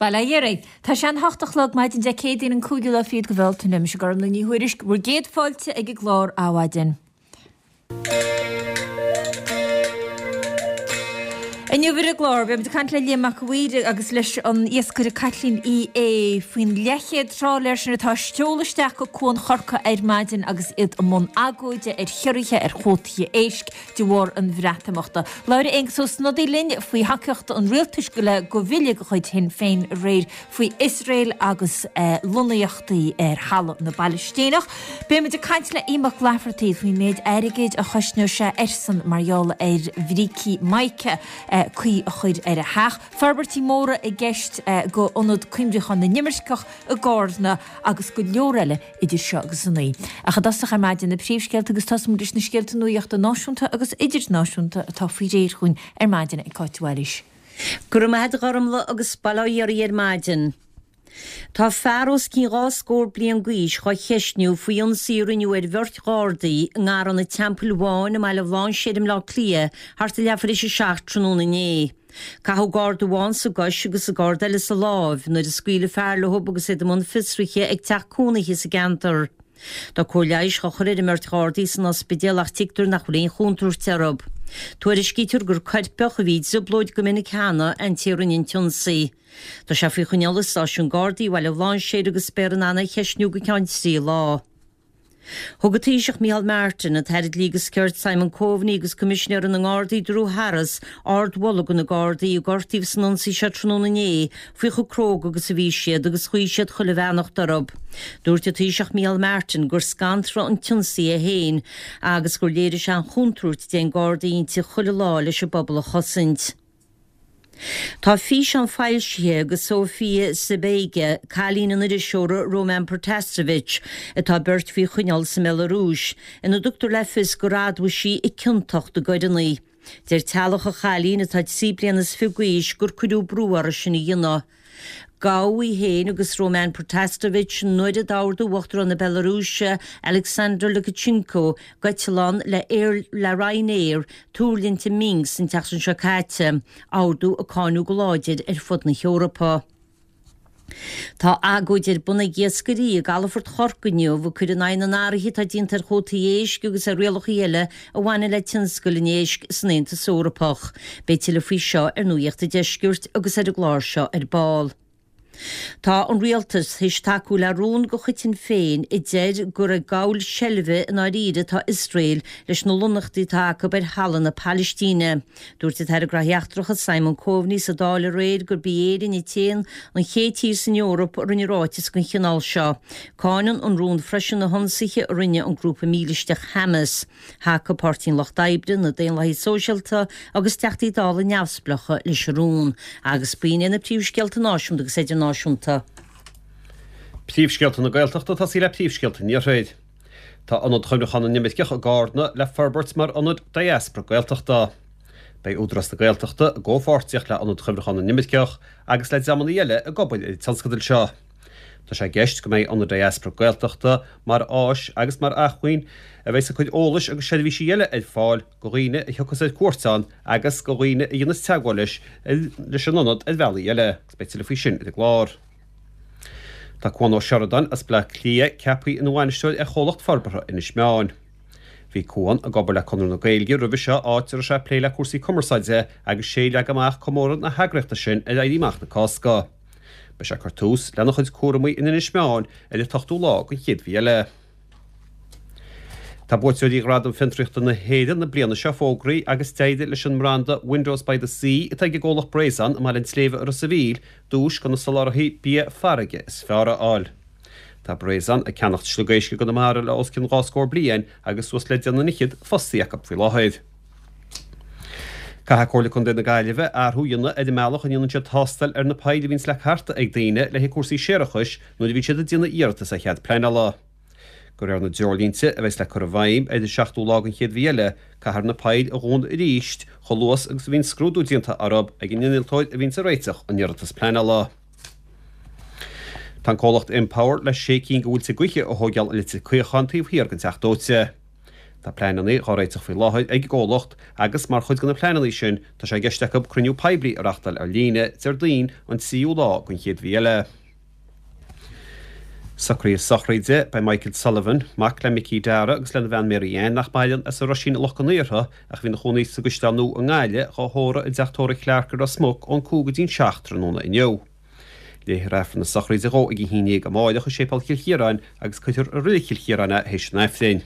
Bail ó Dhia oraibh. Tá sé an hocht a chlog maidin Dé Céadaoin an cúigiú lá fichead de Bhealtaine. Mise Gormlaith Ní Thuairisg, bhur gcéad fáilte ag an gclár Adhmhaidin. Inniu ar an gclár, beimid ag caint le Liam Mac a' Mhaoir agus leis an iascaire Caitlín Uí Aodha faoin leathchéad trálaer sin atá ag seoladh isteach go Cuan Chorca ar maidin agus iad i mbun agóide ar chiorruithe ar chuótaí éisc de bharr an Bhreatimeachta. Labhróidh Aengus Ó Snodaigh linn faoi thacaíocht an rialtais le do bhille de chuid Shinn Féin aréir faoi Iosrael agus lonnaíochtaí ar thalamh na bPailistíneach. Beimid ag caint le Ian Mac Laifeartaigh faoin méid airgid a chosnóidh sé airsean mar gheall ar bhrící mica cuí a chur ar a theach. Forbairtí móra i gceist do Ionad Cuimhneacháin na nImirceach i gCárna agus go leor eile idir seo agus a naoi. Ach i dtosach ar maidin na príomhscéalta agus tosóimid leis na scéalta nuachta náisiúnta agus idirnáisiúnta atá faoi réir chugainn ar maidin ag Cáit de Bhailís. Go raibh maith a't a Ghormlaith agus bail ó Dhia oraibh ar maidin. Tá fear os cionn dhá scór bliain d'aois dhá cheistniú faoi ionsaí a rinneadh ar bheirt Ghardaí i nGarrán an Teampaill Bháin i mBaile Bhlainséir i mBleá Cliath thart ar leathuair théis a seacht tráthnóna inné. Caitheadh Garda amháin sa gcois agus an Garda eile sa láimh nuair a scaoil an fear leo agus iad i mbun fiosraithe ag teach cónaithe sa gceantar. Tá cóir leighis dhá chur ar an mbeirt Ghardaí san ospidéal ach tuigtear nach bhfuil aon chontúirt orthu. Tuairiscítear gur coirpeach a bhí i dtrioblóid go minic cheana an té a rinne an t-ionsaí. Tá sé faoi choinneáil i stáisiún Gardaí Bhaile Bhlainséir agus beifear in ann é a cheistniú go ceann trí lá. Thug an Taoiseach Micheál Martin, an tAire Dlí agus Cirt Simon Coveney agus Coimisinéir na nGardaí Drew Harris ardmholadh do na Gardaí a gortaíodh san ionsaí seo tráthnóna inné faoi chomh cróga agus a bhí siad agus ghuigh siad chuile bheannacht orthu. Dúirt an Taoiseach Micheál Martin gur scanradh an t-ionsaí é féin agus gur léirigh sé an chontúirt a dtéann Gardaí inti chuile lá leis an bpobal a chosaint. Tá físeán foilsithe de Sofia Sapega, cailín an iriseora Roman Protasevich, atá beirt faoi choinneáil sa mBealarúis, ina dtugtar le fios gur admhaigh sí a ciontacht i gcoireanna. Deir teaghlach an chailín, atá 23 bliana d'aois, gur cuireadh brú uirthi sin a dhéanamh. Gabhadh í féin agus Roman Protasevich nuair a d'ordaigh Uachtarán na Bealarúise, Alexander Lukashenko, d'eitleán le le Ryanair tuirlingt i Minsk an tseachtain seo caite, ordú a cáineadh go láidir ar fud na hEorpa. Tá agóid ar bun ag iascairí i gcalafort Chorcaí inniu ag cur in aghaidh na n-athruithe atá déanta ar chuótaí éisc agus ar rialacha eile a bhaineann le tionscal an éisc san Aontas Eorpach. Beidh tuilleadh faoi seo ar Nuacht an Deiscirt agus ar an gclár seo ar ball. Tá an Rialtas théis tacú le rún de chuid Shinn Féin a deir gur ag gabháil seilbhe i ndáiríre atá Iosrael leis na lonnaíochtaí atá acu ar thalamh na Palaistíne. Dúirt an tAire Gnóthaí Eachtracha Simon Coveney sa Dáil aréir gurb í Éirinn an t-aon an chéad tír san Eoraip a rinne ráiteas den chineál seo. Cáineann an rún freisin na hionsaithe a rinne an grúpa mílisteach Hamas. Thacaigh Páirtí an Lucht Oibre, na Daonlathaigh Sóisialta agus Teachtaí Dála neamhspleácha leis an rún. Agus b'in iad na príomhscéalta náisiúnta agus idirnáisiúnta. Príomhscéalta na Gaeltachta ag tosaí le príomhscéalta an Iarthair. Tá Ionad Chuimhneacháin na nImirceach i gCarna le forbairt mar ionad diaspora Gaeltachta. Beidh Údarás na Gaeltachta i gcomhpháirtíocht le Ionad Chuimhneacháin na nImirceach agus le dreamanna eile ag obair ar an tionscadal seo. Tá sé i gceist go mbeidh Ionad Diaspora Gaeltachta mar áis agus mar acmhainn a bheidh ag cur eolais agus seirbhísí eile ar fáil go dhaoine a thiocfas ar cuairt ann agus go dhaoine a dhéanas teagmháil leis leis an ionad ar bhealaí eile agus beidh tuilleadh faoi sin ar an gclár. Tá Cuan Ó Seireadáin as Bleá Cliath ceaptha ina bhainisteoir ar Chomhlacht Forbartha Inis Meáin. Bhí Cuan ag obair le Conradh na Gaeilge roimhe seo áit a raibh sé ag plé le cúrsaí cumarsáide agus sé a leag amach comóradh na heagraíochta sin ar Éirí Amach na Cásca. Beidh sé ag cur tús lena chuid cúramaí in Inis Meáin ar an t-ochtú lá den chéad mhí eile. Tá buaiteoirí Ghradaim Fiontraíochta na hÉireann na bliana seo fógraithe agus d'éirigh leis an mbranda Windows by the Sea atá ag an gcomhlacht Breizon i mBaile an tSléibhe i Ros a' Mhíl duais do na soláthraithe bia farraige is fearr a fháil. Tá Breizon ag ceannacht sliogéisc i gConamara le os cionn dhá scór bliain agus suas le deich nduine fhichead fostaithe acu faoi láthair. Caithfidh Comhairle Contae na Gaillimhe athrú a dhéanamh ar an mbealach a ndéanann siad tástáil ar na poill a bhíonns le cartadh ag daoine le haghaidh cúrsaí séarachais nuair a bhíonn siad ag déanamh iarratas ar chead pleanála. De réir na dtreoirlínte a bheas le cur i bhfeidhm ar an seachtú lá den chéad mhí eile, caithfear na poill a dhúnadh arís chomh luath agus a bhíonn scrúdú déanta orthu ag an innealtóir a bhíonns ag réiteach an iarratas pleanála. Tá an comhlacht Empower le sé cinn de mhuilte gaoithe a thóigeáil i Leitir Caocháin taobh thiar den Teach Dóite. Tá pleananna dhá réiteach faoi láthair ag an gcomhlacht agus mar chuid de na pleananna sin tá sé i gceist acu cruinniú poiblí a reachtáil ar líne Déardaoin an 3ú lá den chéad mhí eile. Socruithe sochraide, Beidh Michael Sullivan, mac le Micí Dara agus lena bhean Mary Ann, nach maireann, as an Roisín i Loch an Iartha, ach a bhí ina chónaí sa gCaisleán Nua i nGaillimh, dhá thórramh i dteach tórraimh Clarke i Ros Muc ón 5 go dtí'n 7 tráthnóna inniu. Léifear Aifreann na sochraide dhó ag a 11 amáireach i Séipéal Chill Chiaráin agus cuirfear i Reilig Chill Chiaráin é théis an Aifrinn.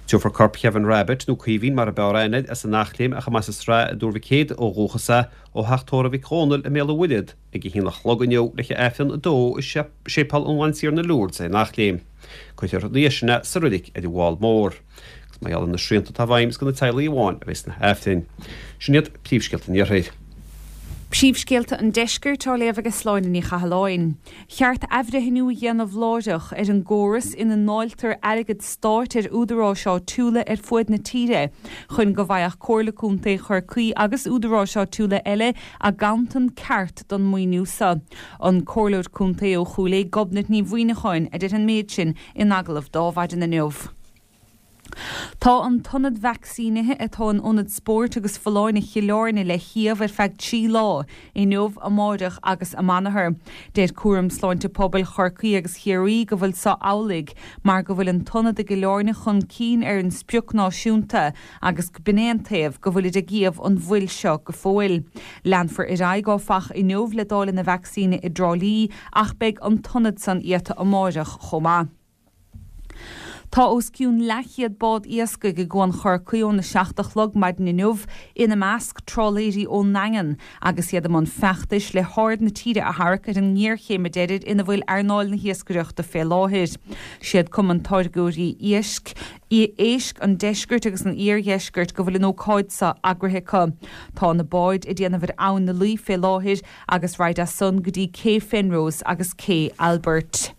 Tabharfar corp Kevin Rabbitte, nó Caoimhín mar a b'fhearr aithne air, as an Eachléim ach a mb'as an Sraith i dTuar Mhic Éadaigh ó dhúchas é, ó theach tórraimh Mhic Dhónaill i mBéal an Mhuirthead ag a haon a chlog inniu le haghaidh Aifreann a dó i Séipéal an Bhantiarna Lourdes ar an Eachléim. Cuirfear ina dhiaidh sin é sa reilig ar an bhFál Mór. Agus mar gheall ar na srianta atá i bhfeidhm is do na teaghlaigh amháin a bheidh sna hAifrinn. Sin iad príomhscéalta an Iarthair. Príomhscéalta an Deiscirt á léamh ag Sláine Ní Chathalláin. Cheart athbhreithniú a dhéanamh láithreach ar an gcóras ina ndáiltear airgead stáit ar údaráis áitiúla ar fuaid na tíre chun go bhfaigheadh Comhairle Contae Chorcaí agus údaráis áitiúla eile a gcanntan ceart don maoiniú seo. An Comhairleoir Contae ó Chúil Aodha Gobnait Ní Mhuineacháin a deir an méid sin in agallamh d'Adhmhaidin inniu. Tá an t-ionad vacsaínithe atá in Ionad Spóirt agus Folláine Chill Airne le shuíomh ar feadh 3 lá, inniu, amáireach agus amanathar. Deir Cúram Sláinte Pobail Chorcaí agus Chiarraí go bhfuil so amhlaidh mar go bhfuil an t-ionad i gCill Airne chun cinn ar an sprioc náisiúnta agus b'in é an taobh go bhfuilid ag iamh an mhoill seo go fóill. Leanfar ar aghaidh áfach inniu le dáileadh na vacsaíne i dTrá Lí ach beidh an t-ionad san iata amáireach chomh maith. Tá os cionn leathchéad bád iascaigh i gCuan Chorcaí óna 7 a chlog maidin inniu, ina measc trálaeirí ón nDaingean, agus iad i mbun feachtais le haird na tíre a tharrac ar an ngéarchéim a deirid ina bhfuil earnáil na hiascaireachta fé láthair. Siad Cumann Táirgeoirí Éisc Éisc an Deiscirt agus an Iardheiscirt go bhfuil an ócáid seo eagraithe acu. Tá na báid ag déanamh ar Abhainn na Laoi fé láthair agus raghaid as san go dtí Cé Phenrose agus Cé Albert.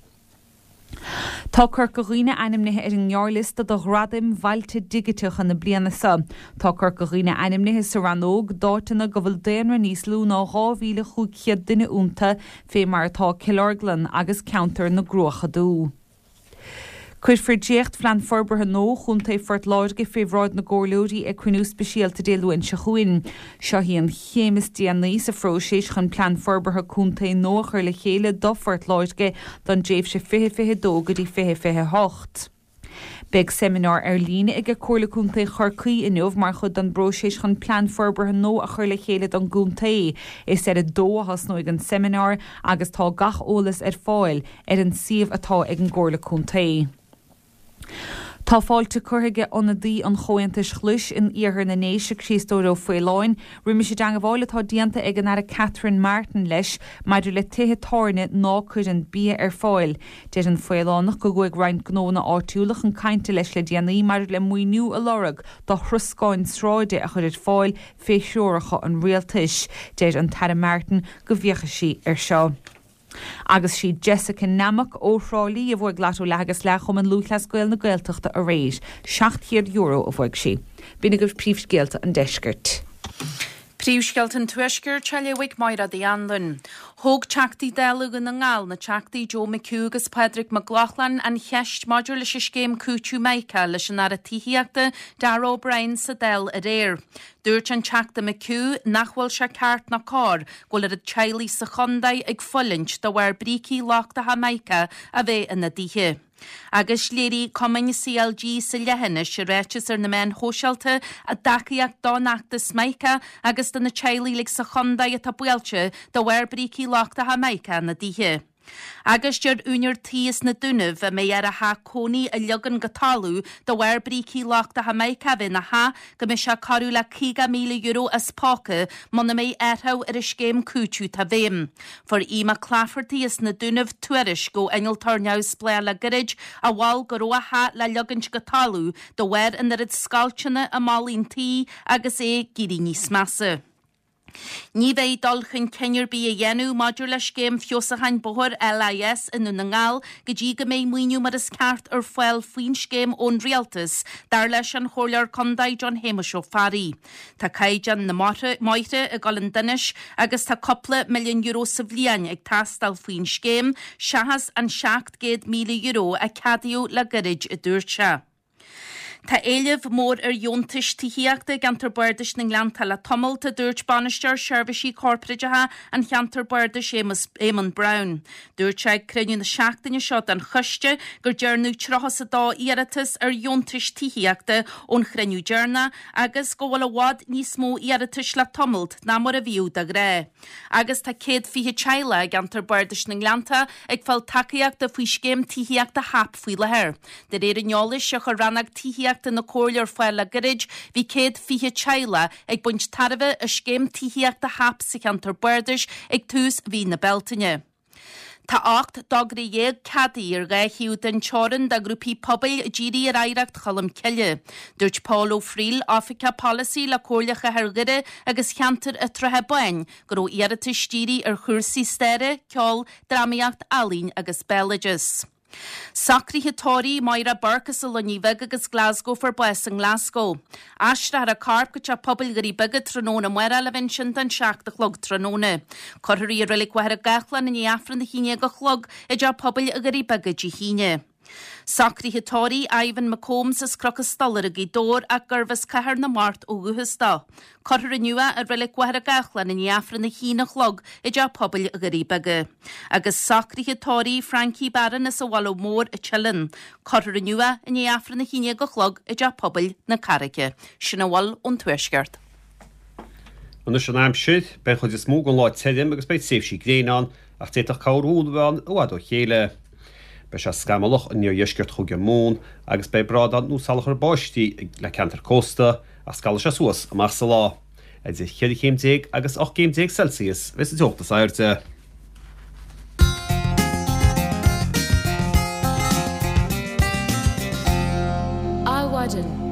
Tá Corca Dhuibhne ainmnithe ar an ngearrliosta do Ghradaim Bhailte Digiteacha na bliana seo. Tá Corca Dhuibhne ainmnithe sa rannóg d'áiteanna go bhfuil daonra níos lú ná 2,500 duine iontu, fé mar atá Cill Orglan agus ceantar na gCruacha Dubha. Cuirfear dréachtphlean forbartha nua Chontae Phort Láirge fé bhráid na gcomhairleoirí ag cruinniú speisialta Dé Luain seo chugainn. Seo í an chéim is déanaí sa phróiseas chun plean forbartha contae nua a chur le chéile do Phort Láirge don dtréimhse 2022 go dtí 2028. Beidh seimineár ar líne ag Comhairle Contae Chorcaí inniu mar chuid den bpróiseas chun plean forbartha nua a chur le chéile don gcontae. Is ar a dó a thosnóidh an seimineár agus tá gach eolas ar fáil ar an suíomh atá ag an gComhairle Contae. Tá fáilte curtha aige ionadaí an Chomhaontais Ghlais in iarthar na nDéise, Críostóir Ó Faoláin, roimis an dteangmháil atá déanta ag an Aire Catherine Martin leis maidir le tithe tábhairne ná cuireann bia ar fáil. Deir an Faolánach go gcuaigh roinnt gnóanna áitiúla chun cainte leis le déanaí maidir le maoiniú a lorg do throscáin sráide a chur ar fáil fé threoracha an Rialtais. Deir an tAire Martin go bhféachfaidh sí air seo. Agus sí Jessica Nammock ó Thrá Lí a bhuaigh Lotto Leath agus Leath Chumann Lúthchleas Gael na Gaeltachta aréir. €700 a bhuaigh sí. B'in agaibh príomhscéalta an deiscirt. Príomhscéalta an Tuaiscirt á léamh ag Máire Uí Anluain. Thóg Teachtaí Dála Dhún na nGall, na Teachtaí Joe McHugh agus Pádraig Mac Lochlainn, an cheist maidir leis an scéim cúiteamh Mica leis an Aire Tithíochta, Darragh O'Brien sa Dáil aréir. Dúirt an Teachta McHugh nach bhfuil sé ceart ná cóir go bhfuil oiread teaghlaigh sa chontae ag fulaingt de bharr brící lochtacha mica a bheith ina dtithe. Agus léirigh cumainn CLG sa leithinis i ráiteas ar na meáin shóisialta a dtacaíocht don fheachtas Mica agus do na teaghlaigh uilig sa chontae atá buailte de bharr brící lochtacha mica ina dtithe. Agus deir úinéir tí as na Dúnaibh a mbeidh air a theach cónaí a ligean go talamh de bharr brící lochtacha mica a bheith ina theach go mbeidh sé corradh le €50,000 as póca muna mbeidh athrú ar an scéim cúitimh atá i bhfeidhm. Fuair Aodh Mac Laifeartaigh as na Dúnaibh tuairisc ó innealtóir neamhspleách le gairid a mhol go raibh a theach le ligeaint go talamh de bharr an oiread scoilteanna i mballaí an tí agus é ag éirí níos measa. Ní bheidh dul chun cinn ar bith á dhéanamh maidir le scéim feabhsúcháin bóthair LIS i nDún na nGall go dtí go mbeidh maoiniú mar is ceart ar fáil faoin scéim ón Rialtas, dar leis an Chomhairleoir Contae John Shéamuis Ó Fearraigh. Tá caighdeán na mbóithre ag dul chun donais agus tá cúpla milliún euro sa bhliain ag teastáil faoin scéim seachas an €700,000 a ceadaíodh le gairid, a dúirt sé. Tá éileamh mór ar dheontais tithíochta i gceantar Bardais na nGleannta le tamalt, a dúirt Bainisteoir Seirbhísí Corparáideacha an Cheantair Bardais Éamonn Brown. Dúirt sé ag cruinniú na seachtaine seo den choiste gur dearnadh 32 iarratas ar dheontais tithíochta ón chruinniú deireanach agus go bhfuil i bhfad níos mó iarratais le tamalt ná mar a bhíodh de ghnáth. Agus tá 120 teaghlach i gceantar Bardais na nGleannta ag fáil tacaíochta faoi scéim tithíochta HAP faoi láthair. De réir an eolais a chuir rannóg tithíochta na Comhairle ar fáil le gairid, bhí 120 teaghlach ag baint tairbhe as scéim tithíochta HAP sa cheantar bardais ag tús mhí na Bealtaine. Tá 18 dtogra ceadaithe ar dhá thaobh den teorainn do ghrúpaí pobail dírithe ar oidhreacht Cholm Cille. Dúirt Pól Ó Frighil, Oifigeach Polasaí le Comhairle Chathair Dhoire agus Cheantar an tSratha Báin, go raibh iarratais dírithe ar chúrsaí staire, ceol, drámaíocht, ealaín agus béaloideas. Socruithe tórraimh Moira Burke as an Luinnigh Bheag agus Glasgow fuair bás i nGlasgow. Aistreofar a corp go Teach Pobail Dhoirí Beaga tráthnóna amárach le bheith ansin don 7 a chlog tráthnóna. Cuirfear í i Reilig Mhachaire Gathlán i ndiaidh Aifreann a 11 a chlog i dTeach Pobail Dhoirí Beaga Dé hAoine. Socruithe tórraimh Ivan McCombs as Cnoc an Stolaire i nGaoth Dobhair ach gurbh as Cathair na Mart ó dhúchas dó. Cuirfear inniu é i Reilig Mhachaire Gathlán i ndiaidh Aifreann a haon a chlog i dTeach Pobail Dhoirí Beaga. Agus socruithe tórraimh Frankie Barron as an Bhaile Mór, an tSileann. Cuirfear inniu é i ndiaidh Aifreann a haon déag a chlog i dTeach Pobail na Carraice. Sin a bhfuil ón Tuaisceart. Anois an aimsir, beidh an chuid is mó den lá tirim agus beidh tréimhsí gréine ann ach d'fhéadfadh corrbhualadh a bheith ann i bhfad ó chéile. Beidh sé scamallach in iardheisceart Chúige Mumhan agus beidh brádán nó salachar báistí le ceantair cósta ach scalfaidh sé suas amach sa lá. Idir cheithre chéim déag agus 18 gcéim Celsius a bheas an teocht is airde. Adhmhaidin.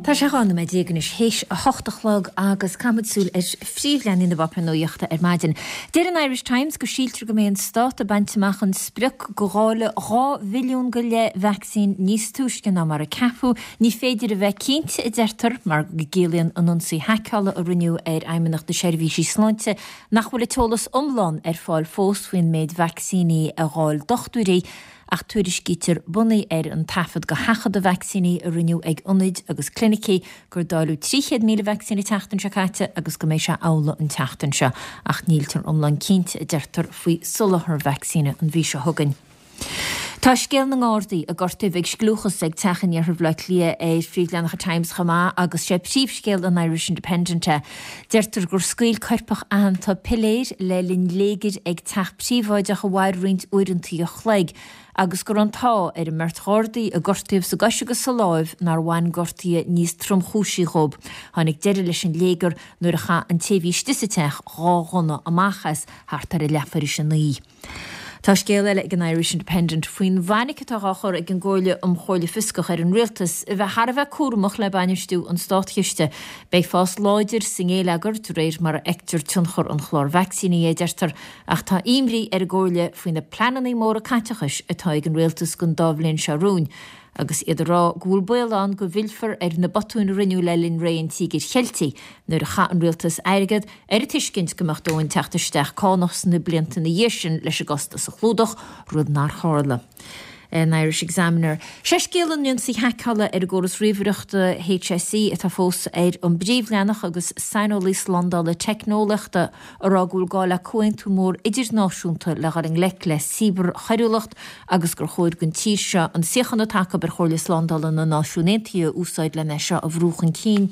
Tá sé 12 nóiméad anois théis a hocht a chlog agus caithfimid súil ar phríomhleathanaigh na bpáipéar nuachta ar maidin. Deir an Irish Times go síltear go mbeidh an stát ag baint amach an sprioc go dháileadh 2 mhilliún go leith vacsaín níos túisce ná mar a ceapadh. Ní féidir a bheith cinnte, a deirtear, mar go gciallaíonn an ionsaí haiceála a rinneadh ar Fheidhmeannacht na Seirbhísí Sláinte nach bhfuil an t-eolas iomlán ar fáil fós faoin méid vacsaíní a dháil dochtúirí ach tuairiscítear bunaithe ar an taifead go sheachadadh vacsaíní a rinneadh ag ionaid agus clinicí gur dáileadh 300,000 vacsaín an tseachtain seo caite agus go mbeidh sé amhlaidh an tseachtain seo ach níltear iomlán cinnte, a deirtear, faoi soláthar vacsaíne an mhí seo chugainn. Tá scéal na nGardaí a gortaíodh ag scliúchas ag teach in iarthar Bhaile Átha Cliath ar phríomhleathanach an Times chomh maith agus sé príomhscéal an Irish Independent é. Deirtear gur scaoil coirpeach aitheanta piléar le linn léigir ag teach príobháideach a mhair roinnt uaireanta a chloig agus go raibh an t-ádh ar an mbeirt Ghardaí a gortaíodh sa gcois agus sa láimh nár bhain gortuithe níos tromchúisí dhóibh. Tháinig deireadh leis an léigear nuair a chaith an té a bhí istigh sa teach dhá ghunna amach as thart ar a leathuair théis a naoi. Tá scéal eile ag an Irish Independent faoin bhfainic atá á chur ag an gComhairle um Chomhairle Fioscach ar an Rialtas a bheith thar a bheith cúramach le bainistiú an státchiste. Beidh fás láidir sa ngéilleagar de réir mar a fheictear tionchar an chláir vacsaíní, a deirtear, ach tá imní ar an gComhairle faoi na pleananna móra caiteachais atá ag an Rialtas don dá bhliain seo romhainn agus iad ag rá go bhfuil baol ann go bhfillfear ar na botúin a rinneadh le linn ré an Tíogair Cheiltigh nuair a chaith an Rialtas airgead ar an tuiscint go mbeadh dóthain teacht isteach cánach sna blianta ina dhiaidh sin leis an gcostas a chlúdach, rud nár tharla. An Irish Examiner. Sé scéal an ionsaí haiceála ar an gcóras ríomhaireachta HSE atá fós ar an bpríomhleathanach agus saineolaí slándála teicneolaíochta ag rá go bhfuil gá le comhaontú mór idirnáisiúnta le dhul i ngleic le cibearchoiriúlacht agus gur chóir don tír seo an suíochán atá acu ar Chomhairle Slándála na Náisiún Aontaithe a úsáid len é seo a bhrú chun cinn.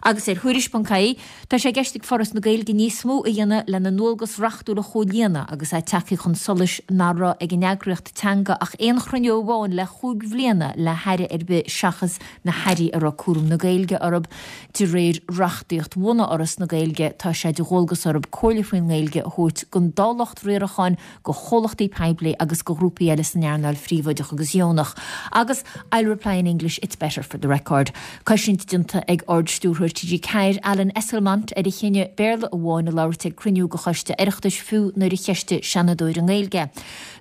Agus ar Thuairisc.ie, Tá sé i gceist ag Foras na Gaeilge níos mó a dhéanamh lena ndualgas reachtúil a chomhlíonadh agus é tagtha chun solais nach raibh ag an eagraíocht teanga ach aon chruinniú amháin le chúig bhliana le haire ar bith seachas na hairí a raibh cúram na Gaeilge orthu. De réir reachtaíocht bhunaidh Fhoras na Gaeilge tá sé de dhualgas orthu comhairle faoin nGaeilge a thabhairt don dá lucht riaracháin, do chomhlachtaí poiblí agus do ghrúpaí eile san earnáil phríobháideach agus dheonach. Agus, I'll reply in English, it's better for the record. Coisint déanta ag Ard-Stiúrthóir. Ard-Stiúrthóir TG4, Alan Esslemont, ar a chinneadh Béarla amháin a labhairt ag cruinniú de Choiste Oireachtais fiú nuair a cheistigh Seanadóir i nGaeilge.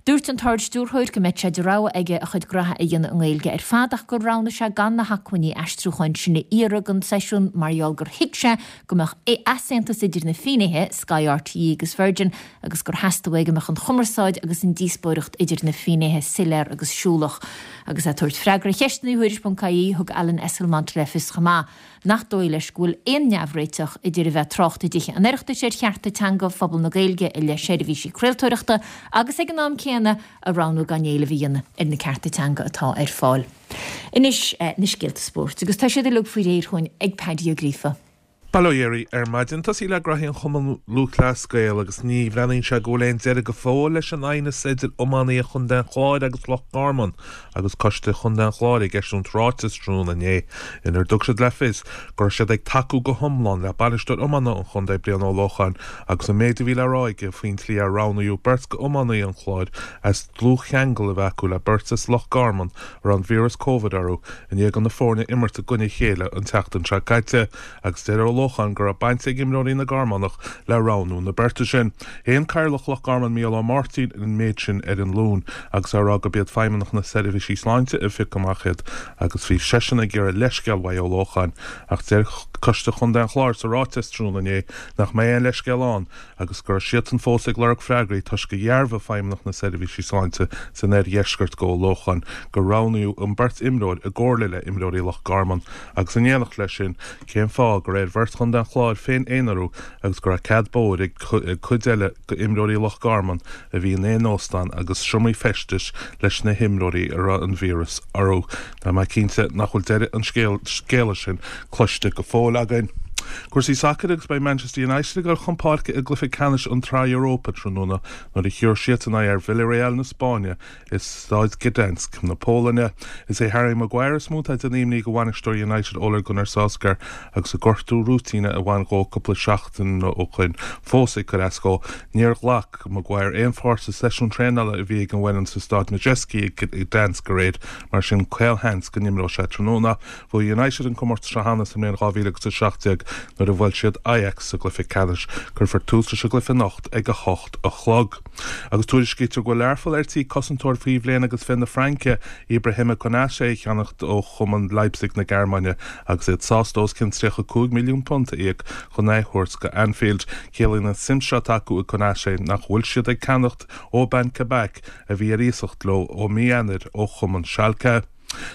Dúirt an tArd-Stiúrthóir go mbeadh sé de rogha aige a chuid graithe a dhéanamh i nGaeilge ar fad ach gur roghnaigh sé gan na hacmhainní aistriúcháin sin a iarraidh don seisiún mar gheall gur thuig sé go mbeadh easaontas idir na finnéithe, Sky RTÉ agus Virgin, agus gur theastaigh uaidh go mbeadh an chumarsáid agus an díospóireacht idir na finnéithe soiléir agus siúlach. Agus é ag tabhairt freagra ar cheisteanna Thuairisc.ie, thug Alan Esslemont le fios chomh maith nach dóigh leis go bhfuil aon neamhréiteach idir a bheith ag trácht i dTithe an Oireachtais ar chearta teanga phobal na Gaeilge i leith seirbhísí craoltóireachta agus ag an am céanna a roghnú gan éileamh a dhéanamh ar na cearta teanga atá ar fáil. Anois na scéalta spóirt agus tá siad uilig faoi réir chugainn ag Paddy Ó Gríofa. Bail ó Dhia oraibh ar maidin. Tosaí le graithí an Chumann Lúthchleas Gael agus ní bhreathnaíonn sé go bhfuil aon deireadh go fóill leis an aighneas idir iománaithe Chontae an Chláir agus Loch Garman agus Coiste Chontae an Chláir ag eisiúint ráiteas tráthnóna inné inar dtug siad le fios go raibh siad ag tacú go hiomlán le bainisteoir iomána an chontae Brian Ó Lócháin agus an méid a bhí le rá aige faoin tslí ar roghnaíodh beirt d'iománaithe an Chláir as dlúthcheangal a bheith acu le beirt as Loch Garman a raibh an víreas Covid orthu i ndiaidh do na foirne imirt i gcoinne a chéile an tseachtain seo caite agus deir Ó Lócháin go raibh baint ag imreoirí na gCarmánach le roghnú na beirte sin. Shéan Cathaoirleach Loch Garman Mícheál Ó Máirtín an méid sin ar an Luan agus é ag rá gurb iad Feidhmeannacht na Seirbhísí Sláinte a phioc amach iad agus bhí seisean ag iarraidh leithscéal uaidh Ó Lócháin ach deir Coiste Chontae an Chláir sa ráiteas tráthnóna inné nach mbeidh aon leithscéal ann agus go raibh siadsan fós ag lorg freagraí toisc gur dhearbhaigh Feidhmeannacht na Seirbhísí Sláinte san oirdheisceart go Ó Lócháin gur roghnaíodh an bheirt imreoir i gcomhairle le imreoirí Loch Garman agus in éineacht leis sin cén fáth gur ar bheirt Chontae an Chláir féin-aonarú agus go raibh cead bóthair ag cuid eile d'imreoirí Loch Garman a bhí in aon óstán agus seomraí feistis leis na himreoirí a raibh an víreas orthu. Tá mé cinnte nach bhfuil deireadh an scéala sin cloiste go fóill againn. Cúrsaí sacair agus beidh Manchester United ag dul chun páirce i gcluiche ceannais an tSraith Europa tráthnóna nuair a thiúrfaidh siadsan aghaidh ar Villarreal na Spáinne i Staid Gdansk na Polainne. Is é Harry Maguire is mó atá ag déanamh imní do bhainisteoir United Ole Gunnar Solskjaer agus an gortú rúitíne a bhain dhó cúpla seachtain ó shoin fós ag cur as dhó. Níor ghlac Maguire aon pháirt sa seisiún traenála a bhí ag an bhfoireann sa Staid Madejski i Gdansk aréir, mar sin caolsheans go n-imreoidh sé tráthnóna. Bhuaigh United an comórtas seo cheana sa mbliain 2017 nuair a bhuail siad Ajax sa gcluiche ceannais. Cuirfear tús leis an gcluiche anocht ag 8 a chlog. Agus tuairiscítear go bhfuil Learpholl ar tí cosantóir faoi bhliain agus 20 na Fraince, Ibrahima Konate a cheannacht ó chumann Leipzig na Gearmáine agus iad sásta os cionn £35 milliún a íoc chun é a thabhairt go Anfield. Ciallaíonn an tsuim seo atá acu i Konate nach bhfuil siad ag ceannacht Aubin Kabak a bhí ar iasacht leo ó mí Eanáir ó chumann Schalke.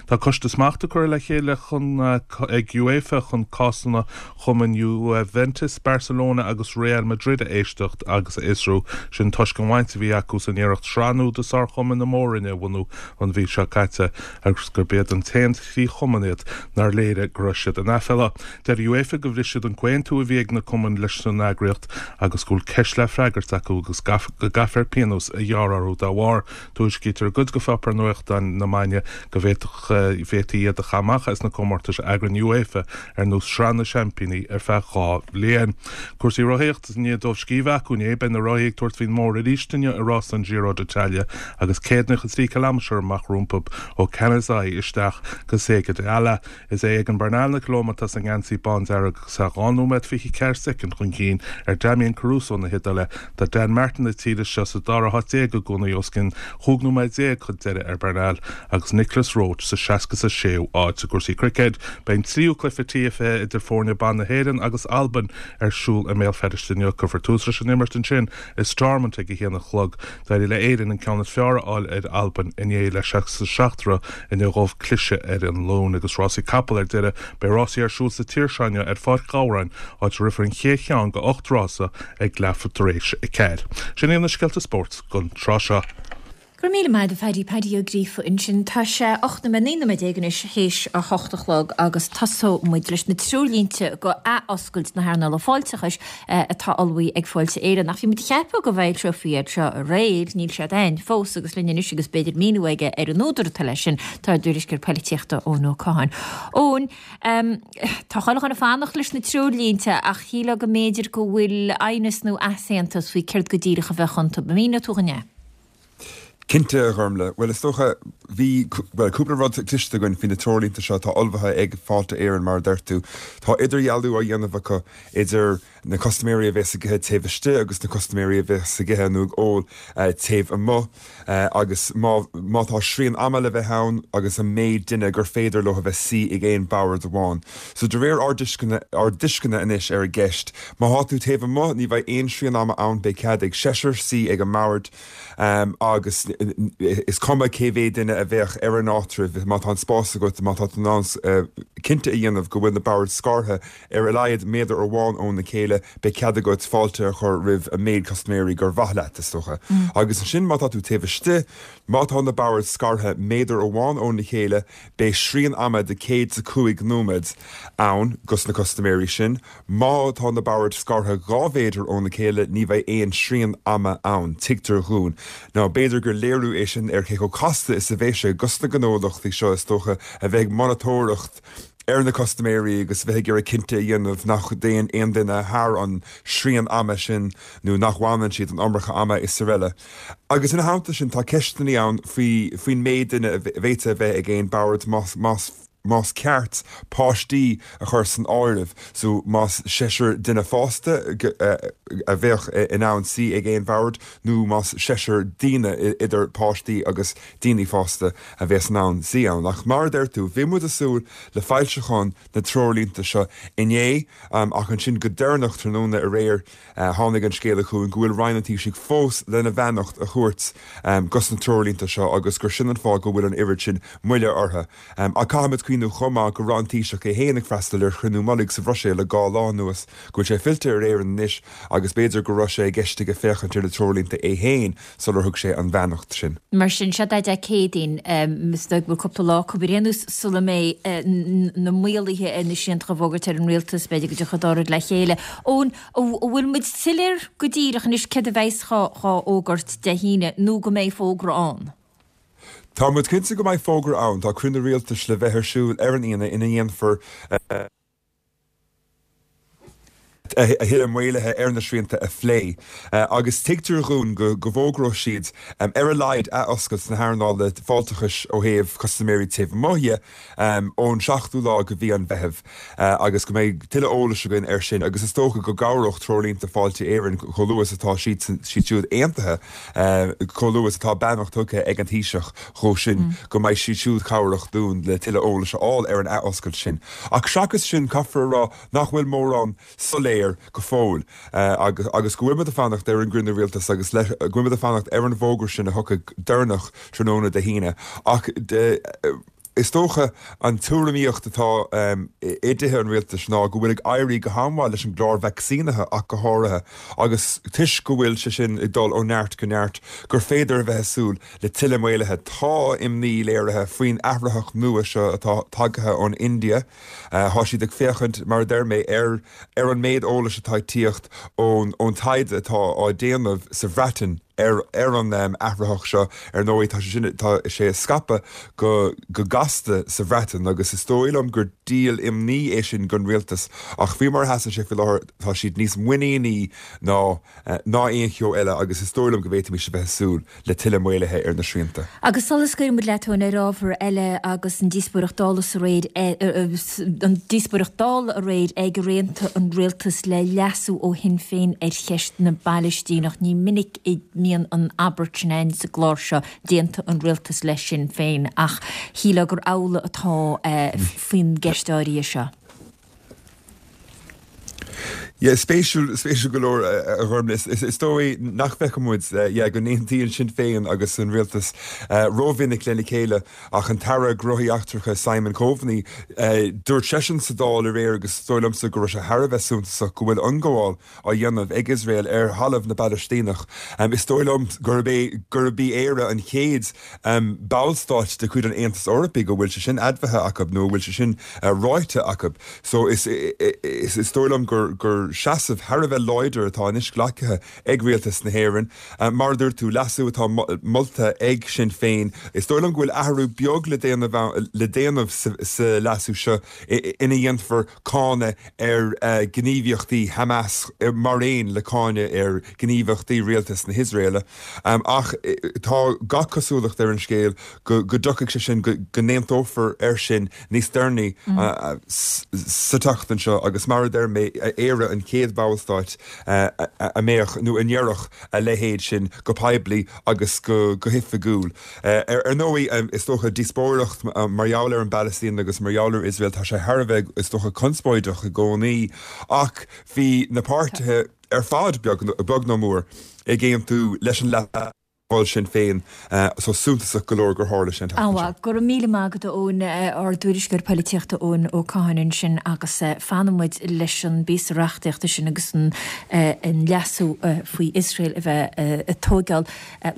Tá coiste smachta curtha le chéile chun ag UEFA chun cásanna chumainn Juventus, Barcelona agus Real Madrid a éisteacht agus a fhiosrú, sin toisc an bhaint a bhí acu san iarracht sraith nua de sárchumainn na mór-roinne a bhunú an mhí seo caite agus gurb iad an t-aon trí chumann iad nár léirigh go raibh siad in aiféala. Deir UEFA gur bhris siad an comhaontú a bhí ag na cumainn leis an eagraíocht agus go bhfuil ceist le freagairt acu agus go gcaithfear pionós a ghearradh orthu dá bharr. Tuairiscítear i gcuid de pháipéir nuachtáin na Spáinne go bhféadfadh bhféadfaí iad a chaitheamh amach as na comórtais a eagraíonn UEFA ar nós Sraith na Seaimpíní ar feadh 2 bhliain. Cúrsaí rothaíochta i ndiaidh dóibh scíth a bheith acu inné, beidh na rothaí ag tabhairt faoin mbóthar arís inniu i rás an Giro d'Italia agus 193 cileámatar amach rompu ó Canazei isteach go Sega d'Ala. Is é Egan Bernal na Colóime atá sa ngeansaí bándearg agus é 2 nóiméad 24 soicind chun cinn ar Damian Caruso na hIodáile. Tá Dan Martin na tíre seo sa dara háit déag i gcónaí, os cionn chúig nóiméad déag chun deiridh ar Bernal, agus Nicolas Roche sa 66ú áit. I gcúrsaí cruicéid, beidh an tríú cluiche T20 idir foirne ban na hÉireann agus Albain ar siúl i mBéal Feirste inniu. Cuirfear tús leis an imirt ansin i Stormont ag a haon a chlog. D'éirigh le Éirinn an ceann is fearr a fháil ar Albain inné le 67 rith i ndiaidh dóibh cliseadh ar an Luan. Agus rásaí capall ar deireadh, beidh rásaí ar siúl sa tír seo inniu ar Pháirc Ghabhráin, áit a rithfear an chéad cheann de 8 rása ag leathuair tar éis 4. Sin iad na scéalta spóirt don tráth seo. Go raibh míle maith agat a Phaddy, Paddy Ó Gríofa ansin. Tá sé 18 nóiméad, 19 nóiméad anois théis a hocht a chlog agus tosóidh muid leis na treoirlínte go ath-oscailt na hearnála fáilteachais atá ullmhaithe ag Fáilte Éireann. Ach bhí muid ag ceapadh go bhfoilseofaí iad seo aréir, níl siad ann fós agus linn anois agus b'fhéidir míniú aige ar an údar atá leis sin, tá ár dtuairisceoir poilitíochta Eoin Ó Catháin. Eoin, tá chuile dhuine ag fanacht leis na treoirlínte ach shílfeá go mb'fhéidir go bhfuil aighneas nó easaontas faoi céard go díreach a bheadh iontu. An míneoidh tú dhúinn é? Cinnte, a Ghormlaith. Bhuel, is dócha, bhí, bhuel, cúpla rud cloiste againn faoi na treoirlínte seo atá ullmhaithe ag Fáilte Éireann, mar a deir tú. Tá idirdhealú á dhéanamh acu idir na custaiméirí a bhéas ag ithe taobh istigh agus na custaiméirí a bhéas ag ithe nó ag ól taobh amuigh agus má, má tá srian ama le bheith ann agus an méid duine gur féidir leo a bheith suí ag aon bhord amháin. So de réir ár dtuisceana, ár dtuisceana anois ar an gceist, má thá tú taobh amuigh ní bheidh aon srian ama ann, beidh cead ag seisear suí ag an mbord agus is cuma cé mhéad duine a bheadh ar an áitreabh, má tá an spás agat, má tá tú in ann cinnte a dhéanamh go bhfuil na boird scartha ar a laghad méadar amháin óna chéile, beidh cead agat fáilte a chur roimh an méid custaiméirí gur mhaith leat, is dócha. Agus ansin má tá tú taobh istigh, má tá na boird scartha méadar amháin óna chéile, beidh srian ama de 105 nóiméad ann dos na custaiméirí sin. Má tá na boird scartha 2 mhéadar óna chéile, ní bheidh aon srian ama ann, tuigtear dhúinn. Now, b'fhéidir gur léiriú é sin ar cé chomh casta is a bheidh sé dos na gnólachtaí seo, is dócha, a bheith ag monatóireacht ar na custaiméirí agus bheith ag iarraidh cinnte a dhéanamh nach dtéann aon duine thar an srian ama sin nó nach bhfanann siad an iomarca ama is araile. Agus ina theannta sin, tá ceisteanna ann faoi faoin méid duine a bhféadfadh a bheith ag aon bhord más más más ceart páistí a chur san áireamh, so más seisear duine fásta a bheadh in ann suí ag aon bhord nó más seisear daoine idir páistí agus daoine fásta a bheas in ann suí ann. Ach mar a deir tú, bhí muid ag súil le foilseachán na dtreoirlínte seo inné ach ansin go deireanach tráthnóna aréir tháinig an scéala chugainn go bhfuil Roinn an Taoisigh fós lena bheannacht a thabhairt dos na treoirlínte seo agus gur sin an fáth go bhfuil an oiread sin moille orthu. Ach caithfimid cuimhniú chomh maith go raibh an Taoiseach é féin ag freastal ar chruinniú mullaigh sa Bhruiséil le dhá lá anuas, go bhfuil sé fillte ar Éirinn anois agus b'fhéidir go raibh sé i gceist aige féachaint ar na treoirlínte é féin sular thug sé an bheannacht sin. Mar sin, sé Dé Céadaoin, is dóigh go bhfuil cúpla lá acu ar aon nós sula mbeidh na maoluithe ar na srianta á bhfógairt ag an rialtas, b'fhéidir go dtiocfaidh an dá rud le chéile. Eoin, an bhfuil muid soiléir go díreach anois céard a bheas dhá fhógairt Dé hAoine nó go mbeidh fógra ann? Tá muid cinnte go mbeidh fógra ann. Tá cruinniú rialtais le bheith ar siúl ar an Aoine ina ndéanfar a thuilleadh maolaithe ar na srianta a phlé agus tuigtear dhúinn go bhfógróidh siad ar a laghad athoscailt na hearnála fáilteachais ó thaobh custaiméirí taobh amuigh dhe ón seachtú lá de mhí an Mheithimh agus go mbeidh tuilleadh eolais againn air sin agus is dócha go gcabhródh treoirlínte Fáilte Éireann chomh luath is atá siad siúd aontaithe, chomh luath is atá beannacht tugtha ag an Taoiseach dhó sin go mbeidh siad siúd cabhrach dúinn le tuilleadh eolais a fháil ar an athoscailt sin. Ach seachas sin caithfear a rá nach bhfuil mórán soiléir go fóill agus agus go bhfuil muid ag fanacht ar an gcruinniú rialtais agus go bhfuil muid ag fanacht ar an bhfógra sin a thiocfaidh deireanach tráthnóna Dé hAoine. Ach is dócha an tuairimíocht atá i dtithe an rialtais ná go bhfuil ag éirí go han-mhaith leis an gclár vacsaínithe ach go háirithe agus toisc go bhfuil sé sin ag dul ó neart go neart gur féidir a bheith ag súil le tuilleadh maolaithe. Tá imní léirithe faoin athraitheach nua seo atá tagaithe ón India. Tá siad ag féachaint, mar a deir mé, ar ar an méid eolais atá ag tíocht ón ón taighde atá á déanamh sa Bhreatain ar ar an athraitheach seo. Ar ndóigh, tá sé sin, tá sé ag scaipeadh go go gasta sa Bhreatain agus is dóigh liom gur díol imní é sin don rialtas ach faoi mar a sheasann sé faoi láthair, tá siad níos muiníní ná ná aon cheo eile agus is dóigh liom go bhféadfaimis a bheith ag súil le tuilleadh maolaithe ar na srianta. Agus sula scaoileann muid leat, Eoin, ar ábhar eile agus an díospóireacht Dála aréir, an díospóireacht Dála aréir ag ar aontaigh an rialtas le leasú ó Shinn Féin ar cheist na bPalaistíneach, ní minic a mbíonn an abairt sin againn sa gclár seo, d'aontaigh an rialtas le Sinn Féin, ach shílfeá gur amhlaidh atá faoin gceist áirithe seo. Yeah, spéisiúil, spéisiúil go leor, a Ghormlaith. Is dóigh nach bhfeiceann muid, yeah, go n-aontaíonn Sinn Féin agus an rialtas rómhinic lena chéile ach an tAire Gnóthaí Eachtracha Simon Coveney, dúirt seisean sa Dáil aréir agus is dóigh liomsa go raibh sé thar a bheith suntasach go bhfuil ionghabháil á dhéanamh ag Iosrael ar thalamh na bPalaistíneach. Is dóigh liom gurb é gurb í Éire an chéad ballstát de chuid an Aontais Eorpaigh go bhfuil sé sin admhaithe acu nó a bhfuil sé sin ráite acu. So is is dóigh liom gur gur. seasamh thar a bheith láidir atá anois glactha ag Rialtas na hÉireann. Mar a dúirt tú, leasú atá molta ag Sinn Féin. Is dóigh liom go bhfuil athrú beag le déanamh le déanamh sa leasú seo ina dhéanfar cáineadh ar ghníomhaíochtaí Hamas mar aon le cáineadh ar ghníomhaíochtaí rialtas na hIosraeile. Ach tá gach cosúlacht ar an scéal go dtiocfaidh sé sin, go n-aontófar air sin níos deireanaí sa tseachtain seo agus mar a deir mé, Éire an chéad bhallstáit a mbeadh nó a ndéarfadh a leithéid sin go poiblí agus go hoifigiúil. Ar ndóigh, is dócha, díospóireacht mar gheall ar an bPalaistín agus mar gheall ar Iosrael, tá sé thar a bheith, is dócha, conspóideach i gcónaí ach bhí na páirtithe ar fad, beag nó mór, ag aontú leis an leasú. Mhol Sinn Féin so suntasach go leor gur tharla sé an tseachtain seo. Go raibh míle maith agat a Eoin, ár dtuairisceoir poilitíochta Eoin Ó Catháin ansin agus fanfaidh muid leis an bpíosa reachtaíochta sin agus an leasú faoi Iosrael a bheith ag tóigeáil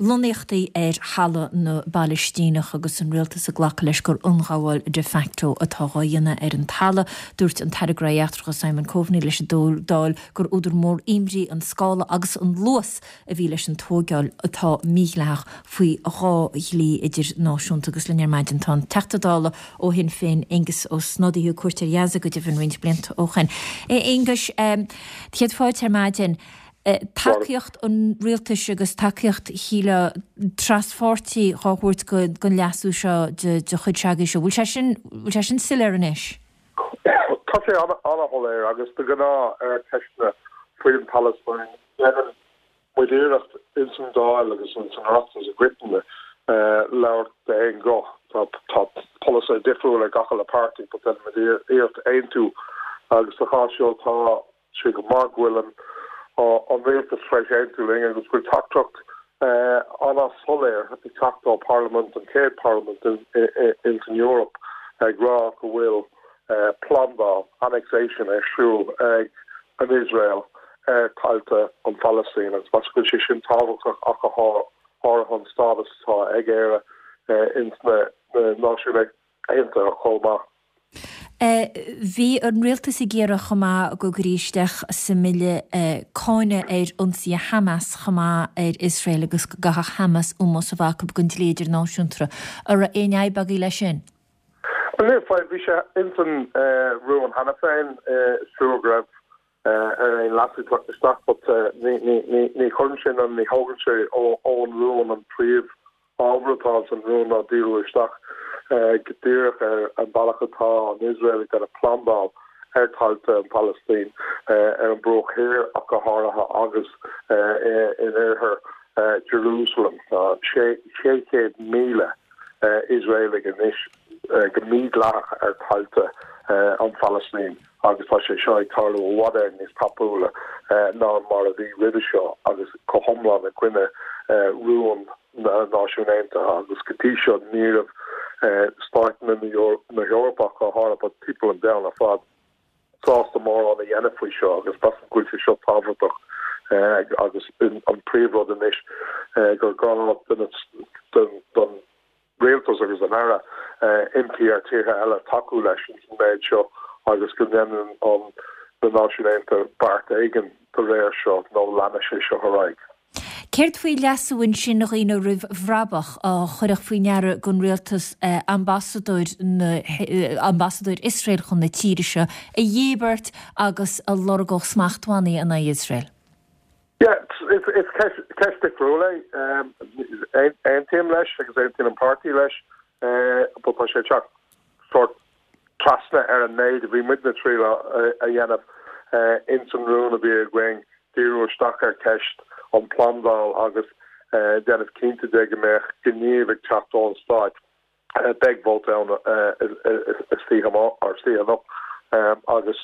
lonnaíochtaí ar thalamh na bPalaistíneach agus an rialtas ag glacadh leis gur ionghabháil de facto atá dhá dhéanamh ar an talamh. Dúirt an tAire Gnóthaí Eachtracha Simon Coveney leis an Dáil gur údar mór imní an scála agus an luas a bhí leis an tóigeáil atá mídhleathach faoi dha dhlí idirnáisiúnta agus linn ar maidin tá an Teachta Dála ó Shinn Féin Aengus Ó Snodaigh a thug cuairt ar Ghaza go deimhin roinnt blianta ó shoin. A Aonghuis, céad fáilte ar maidin. Tacaíocht an rialtais agus tacaíocht shílfeá traspháirtí dhá thabhairt don leasú seo de chuid s'agaibhse. Bhfuil sé sin, bhfuil sé sin soiléir anois? Tá sé an-shoiléir agus de ghnáth ar cheisteanna faoin Phalaistín déanann muid iarracht ins an Dáil agus ins an Oireachtas i gcoitinne labhairt d'aon ghuth. Tá polasaithe difriúil ag gach uile páirtí but déanann muid iarracht aontú agus sa chás seo tá sé go maith go bhfuil an rialtas tar éis aontú linn agus go bhfuil teachtaireacht an-soiléir ag teacht ó Pharlaimint, an chéad Pharlaimint ins an Eoraip, ag rá go bhfuil plandáil, annexation, ar siúl ag an Iosrael ar thailte an Phalaistín agus measaim go bhfuil sé sin tábhachtach ach go háirithe an stádas atá ag Éire ins na Náisiúin Aontaithe chomh maith. Bhí an rialtas ag iarraidh chomh maith go gcuirfí isteach sa mbille cáineadh ar ionsaithe Hamas chomh maith ar Iosrael agus go gcaithfeadh Hamas ómós a bheith acu don dlí idirnáisiúnta. An raibh aon fhadhb agaibh leis sin? Níl fadhb, bhí sé ins an rún cheana féin, is trua go raibh ar aon leasú teacht isteach but ní chuireann sé nó ní thógann sé ón rún an príomh ábhar atá ins an rún ná díriú isteach go díreach ar an bealach atá an Iosrael ag déanamh plandáil ar thailte an Phalaistín ar an bruach thiar ach go háirithe agus in oirthear Jerusalem. Tá 600,000 Iosraelaigh anois go mídhleathach ar thailte an Phalaistín. agus tá sé seo ag tarlú i bhfad Éireann níos tapúla ná mar a bhí roimhe seo agus go hiomlán i gcoinne rún na Náisiún Aontaithe agus go dtí seo ní raibh stáit na hEorpa ach go háirithe but timpeall an domhain ar fad sásta mórán a dhéanamh faoi seo agus measaim go bhfuil sé seo tábhachtach agus an príomhrud anois gur gá don Rialtas agus an Aire impí ar tíortha eile tacú leis an méid seo agus go ndéanann an na Náisiúin Aontaithe beart éigin de réir seo nó leanfaidh sé seo ar aghaidh. Céard faoi leasú ansin a dhaoine roimh bhrabach a chuirfeadh faoi ndeara don rialtas ambasadóir na ambasadóir Iosrael chun na tíre seo a dhíbirt agus a lorgódh smachtbhannaí in aghaidh Iosrael? Yeah, is ceist difriúil é. Aontaím leis agus aontaíonn an páirtí leis but tá sé ag teacht sórt trasna ar an méid a bhí muidne ag triail a dhéanamh ins an rún a bhí againn, díriú isteach ar cheist an phlandáil agus déanamh cinnte de go mbeadh gníomh ag teacht ón stáit. Beidh vóta ann istoíche anocht agus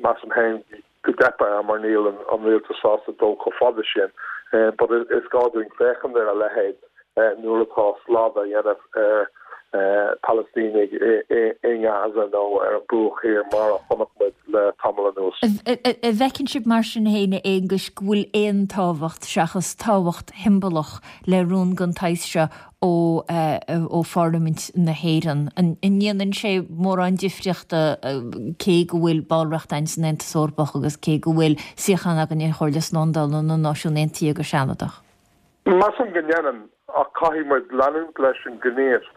measaim féin go dteipfidh air mar níl an rialtas sásta dul chomh fada sin. But is gá dúinn féachaint ar a leithéid nuair atá slad á dhéanamh ar. Palaistínigh i nGaza nó ar an Bruach Thiar mar a chonaic muid le tamall anuas. An bhfeiceann sibh mar sin féin, a Aonghuis, go bhfuil aon tábhacht, seachas tábhacht shiombalach, le rún den tsaghas seo ó ó Pharlaimint na hÉireann? An ndéanann sé mórán difríochta cé go bhfuil ballraíocht againn san Aontas Eorpach agus cé go bhfuil suíochán againn ar Chomhairle Slándála na Náisiún Aontaithe go sealadach? Measaim go ndéanann, ach caithfidh muid leanúint leis an ngníomh.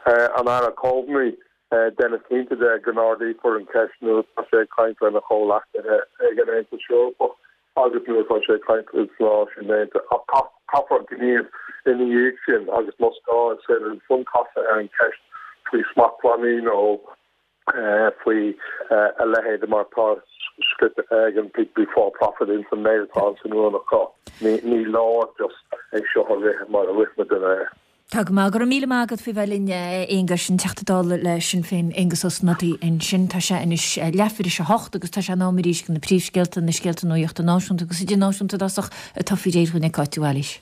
An Aire Coveney, déanamh cinnte de go n-ardaífear an cheist nuair atá sé ag caint lena chomhleacaithe ag an Aontas Eorpach agus nuair atá sé ag caint leis na Náisiúin Aontaithe. Ach caithfear gníomh ina dhiaidh sin agus más gá is féidir ansan casadh ar an cheist faoi smachtbhannaí nó faoi a leithéid mar atá scrite ag an People Before Profit ins an méid atá ins an rún acu. Ní leor just é seo a rith mar a rith muid é. Tá go maith. Go raibh míle maith agat faoi bheith linn, a Aonghuis, an Teachta Dála le Sinn Féin, Aengus Ó Snodaigh ansin. Tá sé anois leathuair théis a hocht agus tá sé in am arís do na príomhscéalta, na scéalta nuachta náisiúnta agus idirnáisiúnta i dtosach, atá faoi réir dhúinn ag Cáit de Bhailís.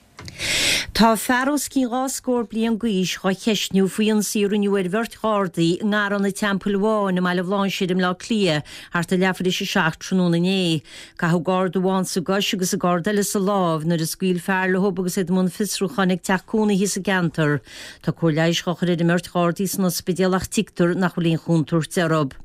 Tá fear os cionn 2 scór bliain d'aois dhá cheistniú faoi ionsaí a rinneadh ar bheirt Ghardaí i nGarrán an Teampaill Bháin i mBaile Bhlainséir i mBleá Cliath thart ar leathuair théis a 7 tráthnóna inné. Caitheadh Garda amháin sa gcois agus an Garda eile sa lámh nuair a scaoil fear leo agus iad i mbun fiosrúcháin ag teach cónaithe sa gceantar. Tá cóir leighis dhá chur ar an mbeirt Ghardaí san ospidéal ach tuigtear nach bhfuil aon chontúirt orthu.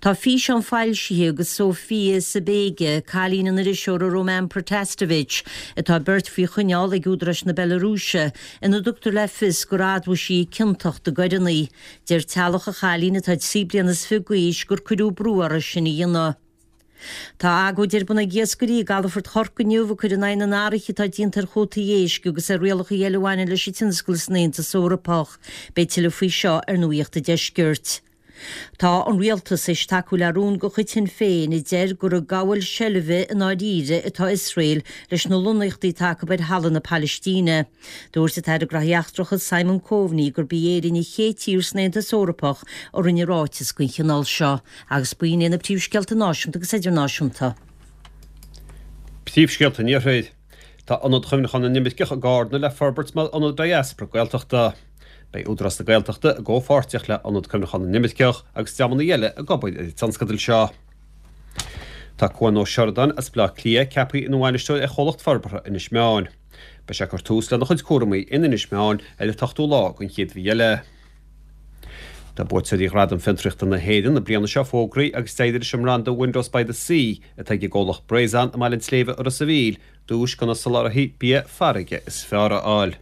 Tá físeán foilsithe de Sofia Sapega, cailín an iriseora Roman Protasevich, atá beirt faoi choinneáil ag údaráis na Bealarúise, ina dtugtar le fios gur admhaigh sí a ciontacht i gcoireanna. Deir teaghlach an chailín, atá 23 bliana is fiche d'aois, gur cuireadh brú uirthi sin a dhéanamh. Tá agóid ar bun ag iascairí i gcalafort Chorcaí inniu ag cur in aghaidh na n-athruithe atá déanta ar chuótaí éisc agus ar rialacha eile a bhaineann leis an tionscal san Aontas Eorpach. Beidh tuilleadh faoi seo ar Nuacht an Deiscirt. Tá an rialtas théis tacú le rún de chuid Shinn Féin a deir gur ag gabháil seilbhe i ndáiríre atá Iosrael leis na lonnaíochtaí atá acu ar thalamh na Palaistíne. Dúirt an tAire Gnóthaí Eachtracha Simon Coveney gurb í Éirinn an chéad tír san Aontas Eorpach a rinne ráiteas den chineál seo. Agus b'in iad na príomhscéalta náisiúnta agus idirnáisiúnta. Príomhscéalta an Iarthair. Tá Ionad Chuimhneacháin na nImirceach i gCarna le forbairt mar ionad diaspora Gaeltachta. Beidh Údarás na Gaeltachta i gcomhpháirtíocht le Ionad Cuimhneacháin na nImirceach agus dreamanna eile ag obair ar an tionscadal seo. Tá Cuan Ó Seireadáin as Baile Átha Cliath ceaptha ina bhainisteoir ar Chomhlacht Forbartha Inis Meáin. Beidh sé ag cur tús lena chuid cúramaí in Inis Meáin ar an t-ochtú lá den chéad mhí eile. Tá buaiteoirí Ghradaim Fiontraíochta na hÉireann na bliana seo fógraithe agus d'éirigh leis an mbranda Windows by the Sea atá ag an gcomhlacht Breizon i mBaile an tSléibhe i Ros a' Mhíl duais do na soláthraithe bia farraige is fearr a fháil.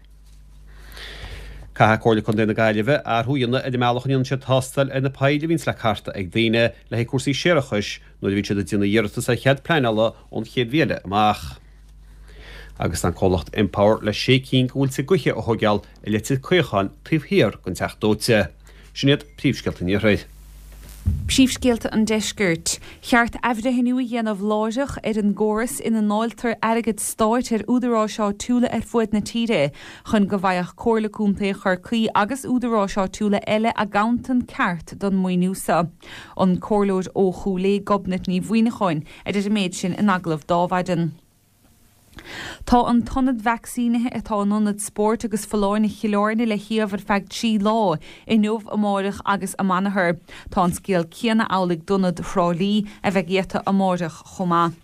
Caithfidh Comhairle Contae na Gaillimhe athrú a dhéanamh ar an mbealach a ndéanann siad tástáil ar na poill a bhíonns le cartadh ag daoine le haghaidh cúrsaí séarachais nuair a bhíonn siad ag déanamh iarratas ar chead pleanála ón chéad mhí eile amach. Agus tá an comhlacht Empower le sé cinn de mhuilte gaoithe a thóigeáil i Leitir Caocháin taobh thiar den Teach Dóite. Sin iad príomhscéalta an Iarthair. Príomhscéalta an Deiscirt. Cheart athbhreithniú a dhéanamh láithreach ar an gcóras ina ndáiltear airgead stáit ar údaráis áitiúla ar fuaid na tíre chun go bhfaigheadh Comhairle Contae Chorcaí agus údaráis áitiúla eile a gcabhantan ceart don maoiniú seo. An Comhairleoir ó Chúil Aodha, Gobnait Ní Mhuineacháin, a deir an méid sin in agallamh d'Adhmhaidin. Tá an t-ionad vacsaínithe atá in Ionad Spóirt agus Folláine Chill Airne le shuíomh ar feadh 3 lá, inniu, amáireach agus amanathar. Tá an scéal céanna amhlaidh d'Ionad Thrá Lí, a bheidh iata amáireach chomh maith.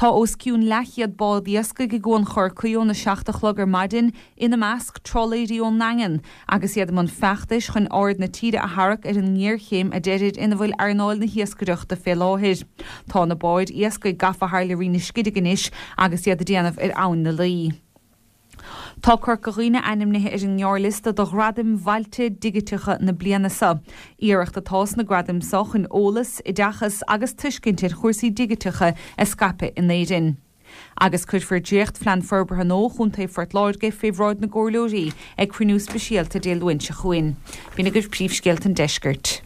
Tá os cionn leathchéad bád iascaigh i gCuan Chorcaí óna 7 a chlog ar maidin, ina measc, trálaeirí ón nDaingean, agus iad i mbun feachtais chun aird na tíre a tharrac ar an ngéarchéim a deirid ina bhfuil earnáil na hiascaireachta fé láthair. Tá na báid iascaigh gafa thar le Rinn na Scidhig anois agus iad ag déanamh ar Abhainn na Laoi. Tá Corca Dhuibhne ainmnithe ar an ngearrliosta do Ghradaim Bhailte Dhigiteacha na bliana seo. Iarracht atá sna gradaim seo chun eolas, oideachas agus tuiscint ar chúrsaí digiteacha a scaipeadh in Éirinn. Agus cuirfear dréacht-Phlean Forbartha Nua Chontae Phort Láirge fé bhráid na gComhairleoirí ag cruinniú speisialta Dé Luain seo chugainn. B'in agaibh príomhscéalta an deiscirt.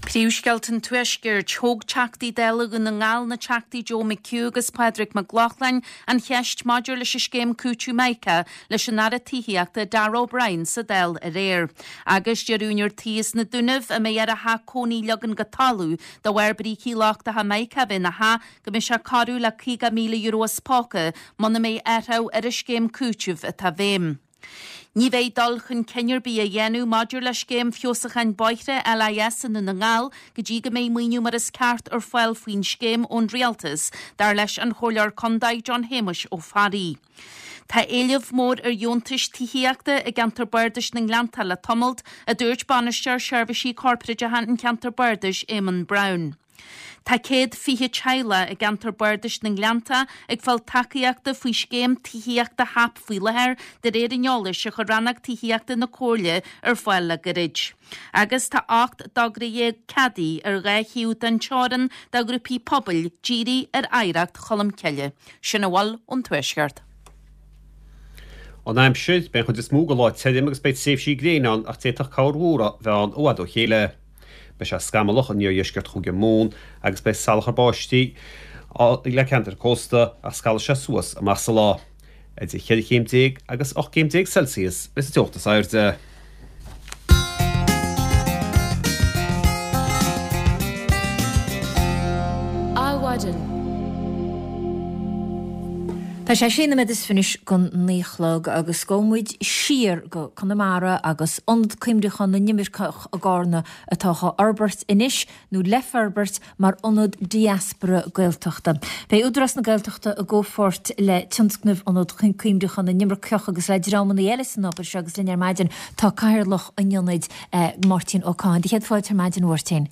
Príomhscéalta an Tuaiscirt. Thóg Teachtaí Dála Dhún na nGall, na Teachtaí Joe McHugh agus Pádraig Mac Lochlainn, an cheist maidir leis an scéim cúitimh Mica leis an Aire Tithíochta Darragh O'Brien sa Dáil aréir. Agus deir úinéir tí as na Dúnaibh a mbeidh air a theach cónaí a leagan go talamh de bharr brící lochtacha Mica a bheith ina theach go mbeidh sé corradh le €50,000 as póca muna mbeidh athrú ar an scéim cúitimh atá i bhfeidhm. Ní bheidh dul chun cinn ar bith á dhéanamh maidir le Scéim Feabhsúcháin Bóithre LIS i nDún na nGall go dtí go mbeidh maoiniú mar is ceart ar fáil faoin scéim ón Rialtas, dar leis an Chomhairleoir Contae John Shéamuis Ó Fearraigh. Tá éileamh mór ar dheontais tithíochta i gceantar Bardais na nGleannta le tamalt, a dúirt Bainisteoir Seirbhísí Corparáideacha an Cheantair Bardais, Éamonn Brown. Tá 120 teaghlach i gceantar Bardais na nGleannta ag fáil tacaíochta faoi scéim tithíochta HAP faoi láthair de réir an eolais a chuir Rannóg Tithíochta na Comhairle ar fáil le gairid. Agus tá 18 dtogra ceadaithe ar dhá thaobh den teorainn do ghrúpaí pobail dírithe ar oidhreacht Cholmcille. Sin a bhfuil ón Tuaisceart. An aimsir, Beidh an chuid is mó den lá tirim agus beidh tréimhsí gréine ann ach d'fhéadfadh corrmhúr a bheith ann i bhfad ó chéile. Beidh sé scamallach in iardheisceart Chúige Mumhan agus beidh salachar báistí le ceantair cósta ach scalfaidh sé suas amach sa lá. Idir cheithre chéim déag agus 18 gcéim Celsius a bheas an teocht is airde. Adhmhaidin. Tá sé sé nóiméad is fiche anois don naoi a chlog agus gabhfaidh muid siar go Conamara agus Ionad Cuimhneacháin na nImirceach i gCarna atá á fhorbairt anois, nó le forbairt, mar ionad diaspora Gaeltachta. Beidh Údarás na Gaeltachta i gcomhpháirt le tionscnamh Ionad Cuimhneacháin na nImirceach agus le dreamanna eile san obair seo agus linn ar maidin tá Cathaoirleach an Ionaid, Máirtín Ó Cadhain. Do chéad fáilte ar maidin, a Mháirtín.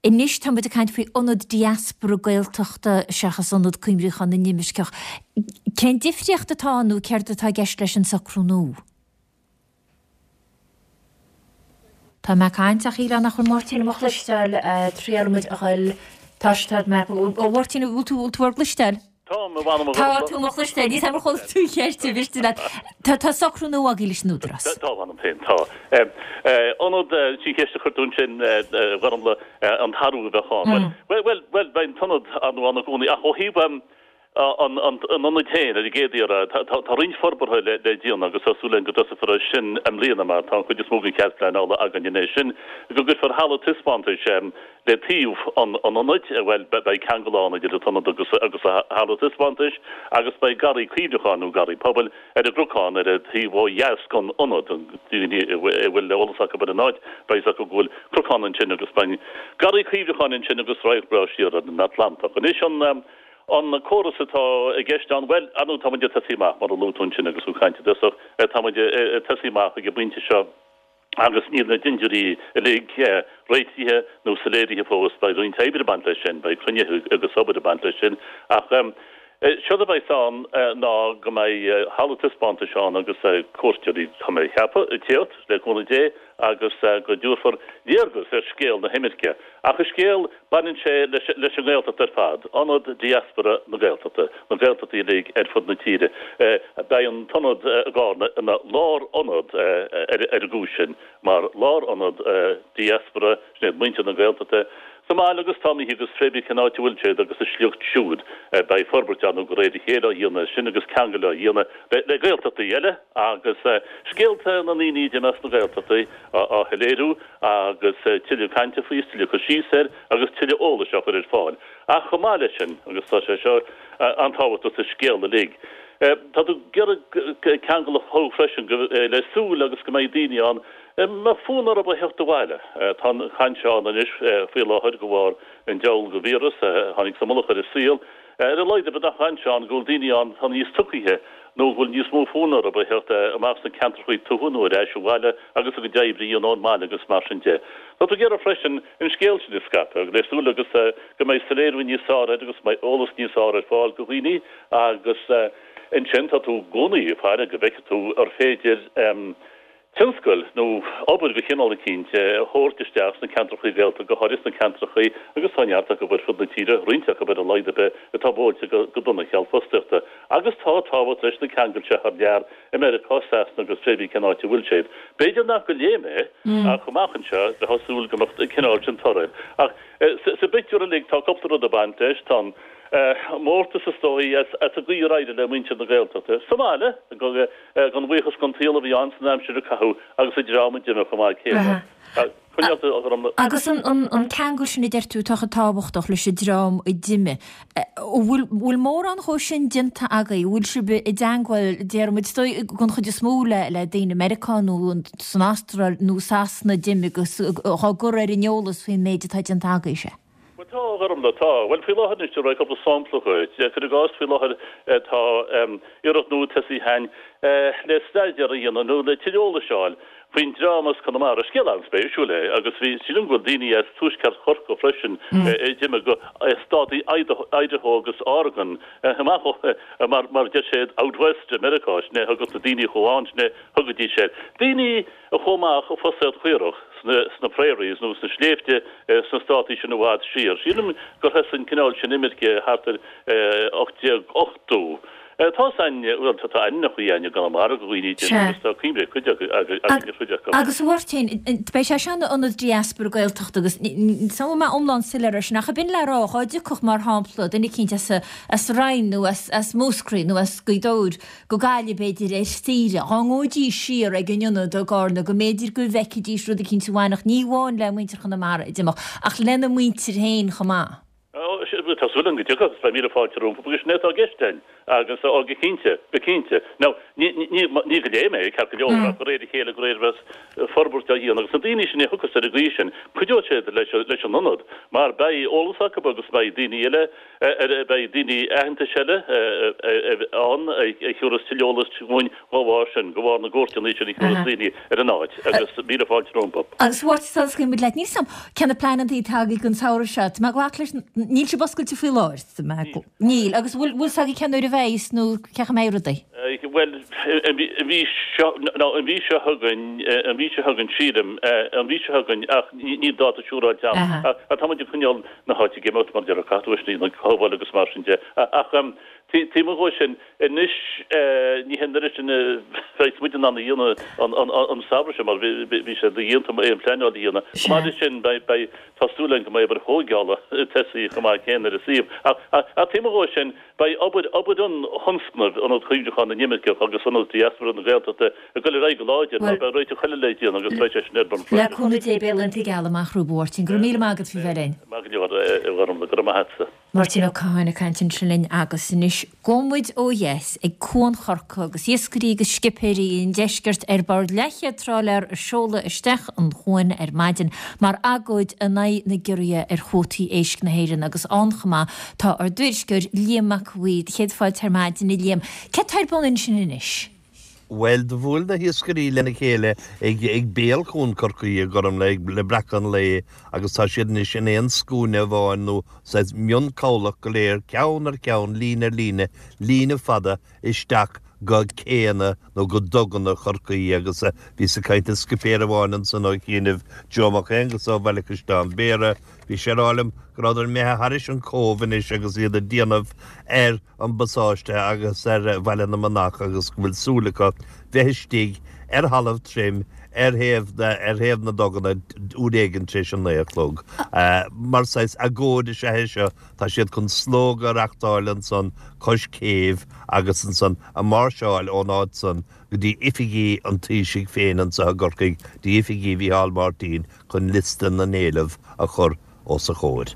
Anois tá muid ag caint faoi ionad diaspora Gaeltachta seachas Ionad Cuimhneacháin na nImirceach. Cén difríocht atá ann nó céard atá i gceist leis an socrú nua? Tá mé ag caint ach shílfeá nach bhfuil Máirtín á mo chloisteáil, triailfidh muid a ghoil, tá sé, tá mé, a Mháirtín, bhfuil tú, bhfuil tú ár gcloisteáil? Táim, a mh'anam a Tá tú mo chloisteáil, níl 's a'm ar chuala tú an cheist, an mhiste leat. Tá, tá socrú nua agaibh leis an Údarás. Tá, a mh'anam féin, tá. Ionad, sin ceist a chuir tú ansin, a Ghormfhlaith, an t-athrú a bheadh ann. Bhuel, bhuel, bhuel, beidh an t-ionad ar ndóigh ann i gcónaí ach ó thaobh an ionaid féin, ar an gcéad iarraidh, tá roinnt forbartha le déanamh agus tá súil againn go dtosófar air sin i mbliana mar tá an chuid is mó den chead pleanála againn anois. Sin go gcuirfear halla taispeántais Le taobh an ionaid, bhuel, beidh ceangal ann idir an t-ionad agus an halla taispeántais agus beidh garraí cuimhneacháin, nó garraí pobail, ar an gcnocán ar an taobh ó dheas den ionad. Daoine a bhfuil eolas acu ar an áit, beidh a fhios acu go bhfuil cnocán ansin agus beidh garraí cuimhneacháin ansin agus radharc breá siar ar an Atlantach. Anois an an córas atá i gceist ann, bhuel, ar ndóigh, tá muid ag tosaí amach, mar a luaigh tú ansin agus tú ag caint i dtosach, tá muid ag tosaí amach ag an bpointe seo. agus níl na dintiúirí uilig réitithe nó soiléirithe fós. Beidh roinnt oibre ag baint leis sin, beidh cruinnithe agus obair ag baint leis sin, ach séard a bheas ann ná go mbeidh halla taispeántais ann agus cuairteoirí, tá mé ag ceapadh, ag tíocht, le cúnamh Dé, agus go dtabharfar léargas ar scéal na himirce. Ach an scéal, baineann sé leis an nGaeltacht ar fad, ionad diaspora na Gaeltachta, na Gaeltachtaí uilig ar fud na tíre. Beidh an t-ionad i gCarna ina lárionad ar an gcúis sin, mar lárionad diaspora, sin iad muintir na Gaeltachta sa mbaile agus tá imithe agus pé bith cén áit a bhfuil siad agus a sliocht siúd. Beidh forbairt ann de réir a chéile á dhéanamh air sin agus ceangal á dhéanamh le Gaeltachtaí eile agus scéalta na ndaoine a d'imigh as na Gaeltachtaí á shoiléiriú agus tuilleadh cainte faoi is tuilleadh cur síos air agus tuilleadh eolais á chur ar fáil. Ach chomh maith leis sin, agus tá sé seo an-tábhachtach sa scéal uilig, tá tú ag iarraidh ceangal a chothú freisin le súil agus go mbeidh daoine ann a mbeadh fonn orthu a theacht abhaile. Tá an chaint seo ann anois faoi láthair de bharr an diabhal de víreas a tháinig sa mullach ar an saol. Ar a laghad ar bith an chaint seo ann go bhfuil daoine ann atá níos tugtha nó go bhfuil níos mó fonn orthu a theacht amach sna ceantracha tuaithe nó ar ais abhaile agus a gcuid oibre a dhéanamh ón mbaile agus mar sin de. Tá tú ag iarraidh freisin an scéal sin a scaipeadh le súil agus go mbeidh soiléiriú níos fearr air agus go mbeidh eolas níos fearr ar fáil do dhaoine agus ansin tá tú i gcónaí ag faire go bhfeicfidh tú ar féidir tionscail nó obair de chineál eicínt a thabhairt isteach sna ceantrachaí Gaeltachta, go háirithe sna ceantrachaí, agus tá neart acu ar fud na tíre, roinnt acu ar a laghad ar bith, atá buailte go dona cheal fostaíochta. Agus tá tábhacht leis na ceangail seo thar lear, i Meiriceá, Sasana agus pé bith cén áit a bhfuil siad. B'fhéidir nach go léim é, ach amach anseo, bheifeá ag súil go mbeadh an cineál sin toradh air. Ach sa bpictiúr uilig, tá cúpla rud ag baint leis. Tá an mórtas is dóigh as an gcaoi ar éirigh le muintir na Gaeltachta sa mbaile, Gan bhuíochas don tsaol a bhí ann san aimsir a caitheadh agus an dream a d'imigh chomh maith céanna. Coinneáil a Ghormfhlaith. Agus an ceangal sin a deir tú atá chomh tábhachtach leis an dream a d'imigh, an bhfuil mórán dhó sin déanta agaibh? An bhfuil sibh i dteangmháil, déarfaimid, is dóigh, den chuid is mó le daoine i Meiriceá nó san Astráil nó Sasana a d'imigh agus dhá gcur ar an eolas faoin méid atá déanta agaibhse? Bhuel tá, a Ghormfhlaith, tá. Bhuel faoi láthair anois, tabharfaidh mé cúpla sampla dhuit. Cuir i gcás, faoi láthair tá iarracht nua tosaithe againn le staidéar a dhéanamh nó le tuilleadh eolais a fháil faoin dream as Conamara. Scéal an-spéisiúil é agus bhí, sílim go bhfuil daoine as tuaisceart Chorcaí freisin a d'imigh go státaí Idaho agus Oregon amach ó, mar mar deir siad out west i Meiriceá, sin é a thugadh na daoine a chuaigh ann, sin é a thugaidís air. Daoine a chuaigh amach ag fosaíocht chaorach sna prairies nó sna sléibhte sna státaí sin i bhfad siar. Sílim gur thosaigh an cineál sin imirce thart ar 1880. Tá a fhios againn, bhuel, tá ainmneacha againn i gConamara do dhaoine a d'imigh agus tá cuimhne ag cuid againn ar chuid acu. Agus a Mháirtín, beidh sé seo ina ionad diaspora Gaeltachta agus níl mé iomlán soiléir air sin ach ab in le rá, dhá dtiocfadh, mar shampla, duine eicínt as an Rinn nó as Múscraí nó as Gaoth Dobhair go Gaillimh, b'fhéidir, ar saoire, dhá ngabhaidís siar ag an ionad i gCarna, go mb'fhéidir go bhfeicfidís rud eicínt a bhainfeadh ní amháin le muintir Chonamara a d'imigh, ach lena muintir féin chomh maith. Ó, tá súil agam go dtiocfaidh, agus beidh míle fáilte rompu, agus sin é atá i gceist againn, agus, ó, go cinnte, go cinnte. Now, ní, ní, ní go léim é, ceart go leor, ach de réir a chéile, de réir a bheas forbairt á dhéanamh, agus na daoine sin a thiocfas ar an gcaoi sin, cuideoidh siad leis, leis an ionad, mar beidh eolas acu agus beidh daoine eile, Beidh daoine aitheantais eile ann a thiúrfas tuilleadh eolais dhúinn dá bharr sin, de bharr na gcuairteanna sin a thiúrfas daoine ar an áit agus míle fáilte rompu. Agus a Mháirtín sula scaoilfidh muid leat, níl 's a'm cé na pleananna atá agaibh don samhradh seo, tá mé ag glacadh leis, níl sibh oscailte faoi láthair, tá mé ag, níl, agus bhfuil, bhfuil 's agaibh cén uair a bheidh nó cén chaoi a mbeidh rudaí? Bhuel, an mhí seo, nó an mhí seo chugainn, an mhí seo chugainn sílim, an mhí seo chugainn ach níl dáta siúráilte agam. Ach tá muid ag coinneáil na háite ag imeacht mar deir caithfidh tú é sin a chothabháil agus mar sin de. Ach taobh amuigh dhó sin, anois ní hé an oiread sin a bheas muid in ann a dhéanamh an samhradh seo mar bhí sé dodhéanta aon phleanáil a dhéanamh. Chomh maith leis sin beidh, tá súil againn go mbeidh obair thóigeála tosaithe chomh maith céanna ar an suíomh. Ach taobh amuigh dhó sin, beidh obair, obair an thionscnaimh, Ionad Cuimhneacháin na nImirceach agus Ionad Diaspora na Gaeltachta, ag dul ar aghaidh go láidir mar beidh réiteach eile le déanamh agus beidh sé sin ar bun freisin. Le cúnamh Dé beidh laethanta geala amach romhaibh a Mháirtín. Go raibh míle maith agat faoi bheith linn. Maith go leor, a Ghormfhlaith. Go raibh maith agatsa. Máirtín Ó Catháin ag caint ansin linn agus anois gabhfaidh muid ó dheas ag Cuan Chorcaí agus iascairí agus scipéirí an deiscirt ar bord leathchéad tráiléar a seoladh isteach an chuan ar maidin mar agóid in aghaidh na gciorruithe ar chuótaí éisc na hÉireann agus ann chomh maith tá ár dtuairisceoir Liam Mac a' Bhaoir. Céad fáilte ar maidin a Liam. Céard tá ar bun ansin anois? Bhuel, do bhuail na hiascairí lena chéile ag béal Chuan Chorcaí, a Ghormfhlaith, le breacadh an lae agus tá siad anois in aon scuaine amháin nó saghas mionchabhlach go léir, ceann ar cheann, líne ar líne, líne fada isteach go céanna nó go duganna Chorcaí agus bhíos ag caint le scipéir amháin ansan ó chianaibh, Joe Mac Aonghusa ó Bhaile Chaisleán Bhéarra, bhí sé ag rá liom go rabhadar imithe thairis an Cóbh anois agus iad ag déanamh ar an bpasáiste agus ar Bhaile na Manach agus go bhfuil súil acu bheith istigh ar thalamh tirim ar thaobh na ar thaobh na nduganna uair éigin tar éis a naoi a chlog. Mar saghas agóid is ea é seo, tá siad chun slógadh a reachtáil ansan cois céibh agus ansan a máirseáil ón áit san go dtí oifigí an Taoisigh féin anso i gCorcaigh, dtí oifigí Mhícheál Martin chun liosta na n-éileamh a chur os a chomhair.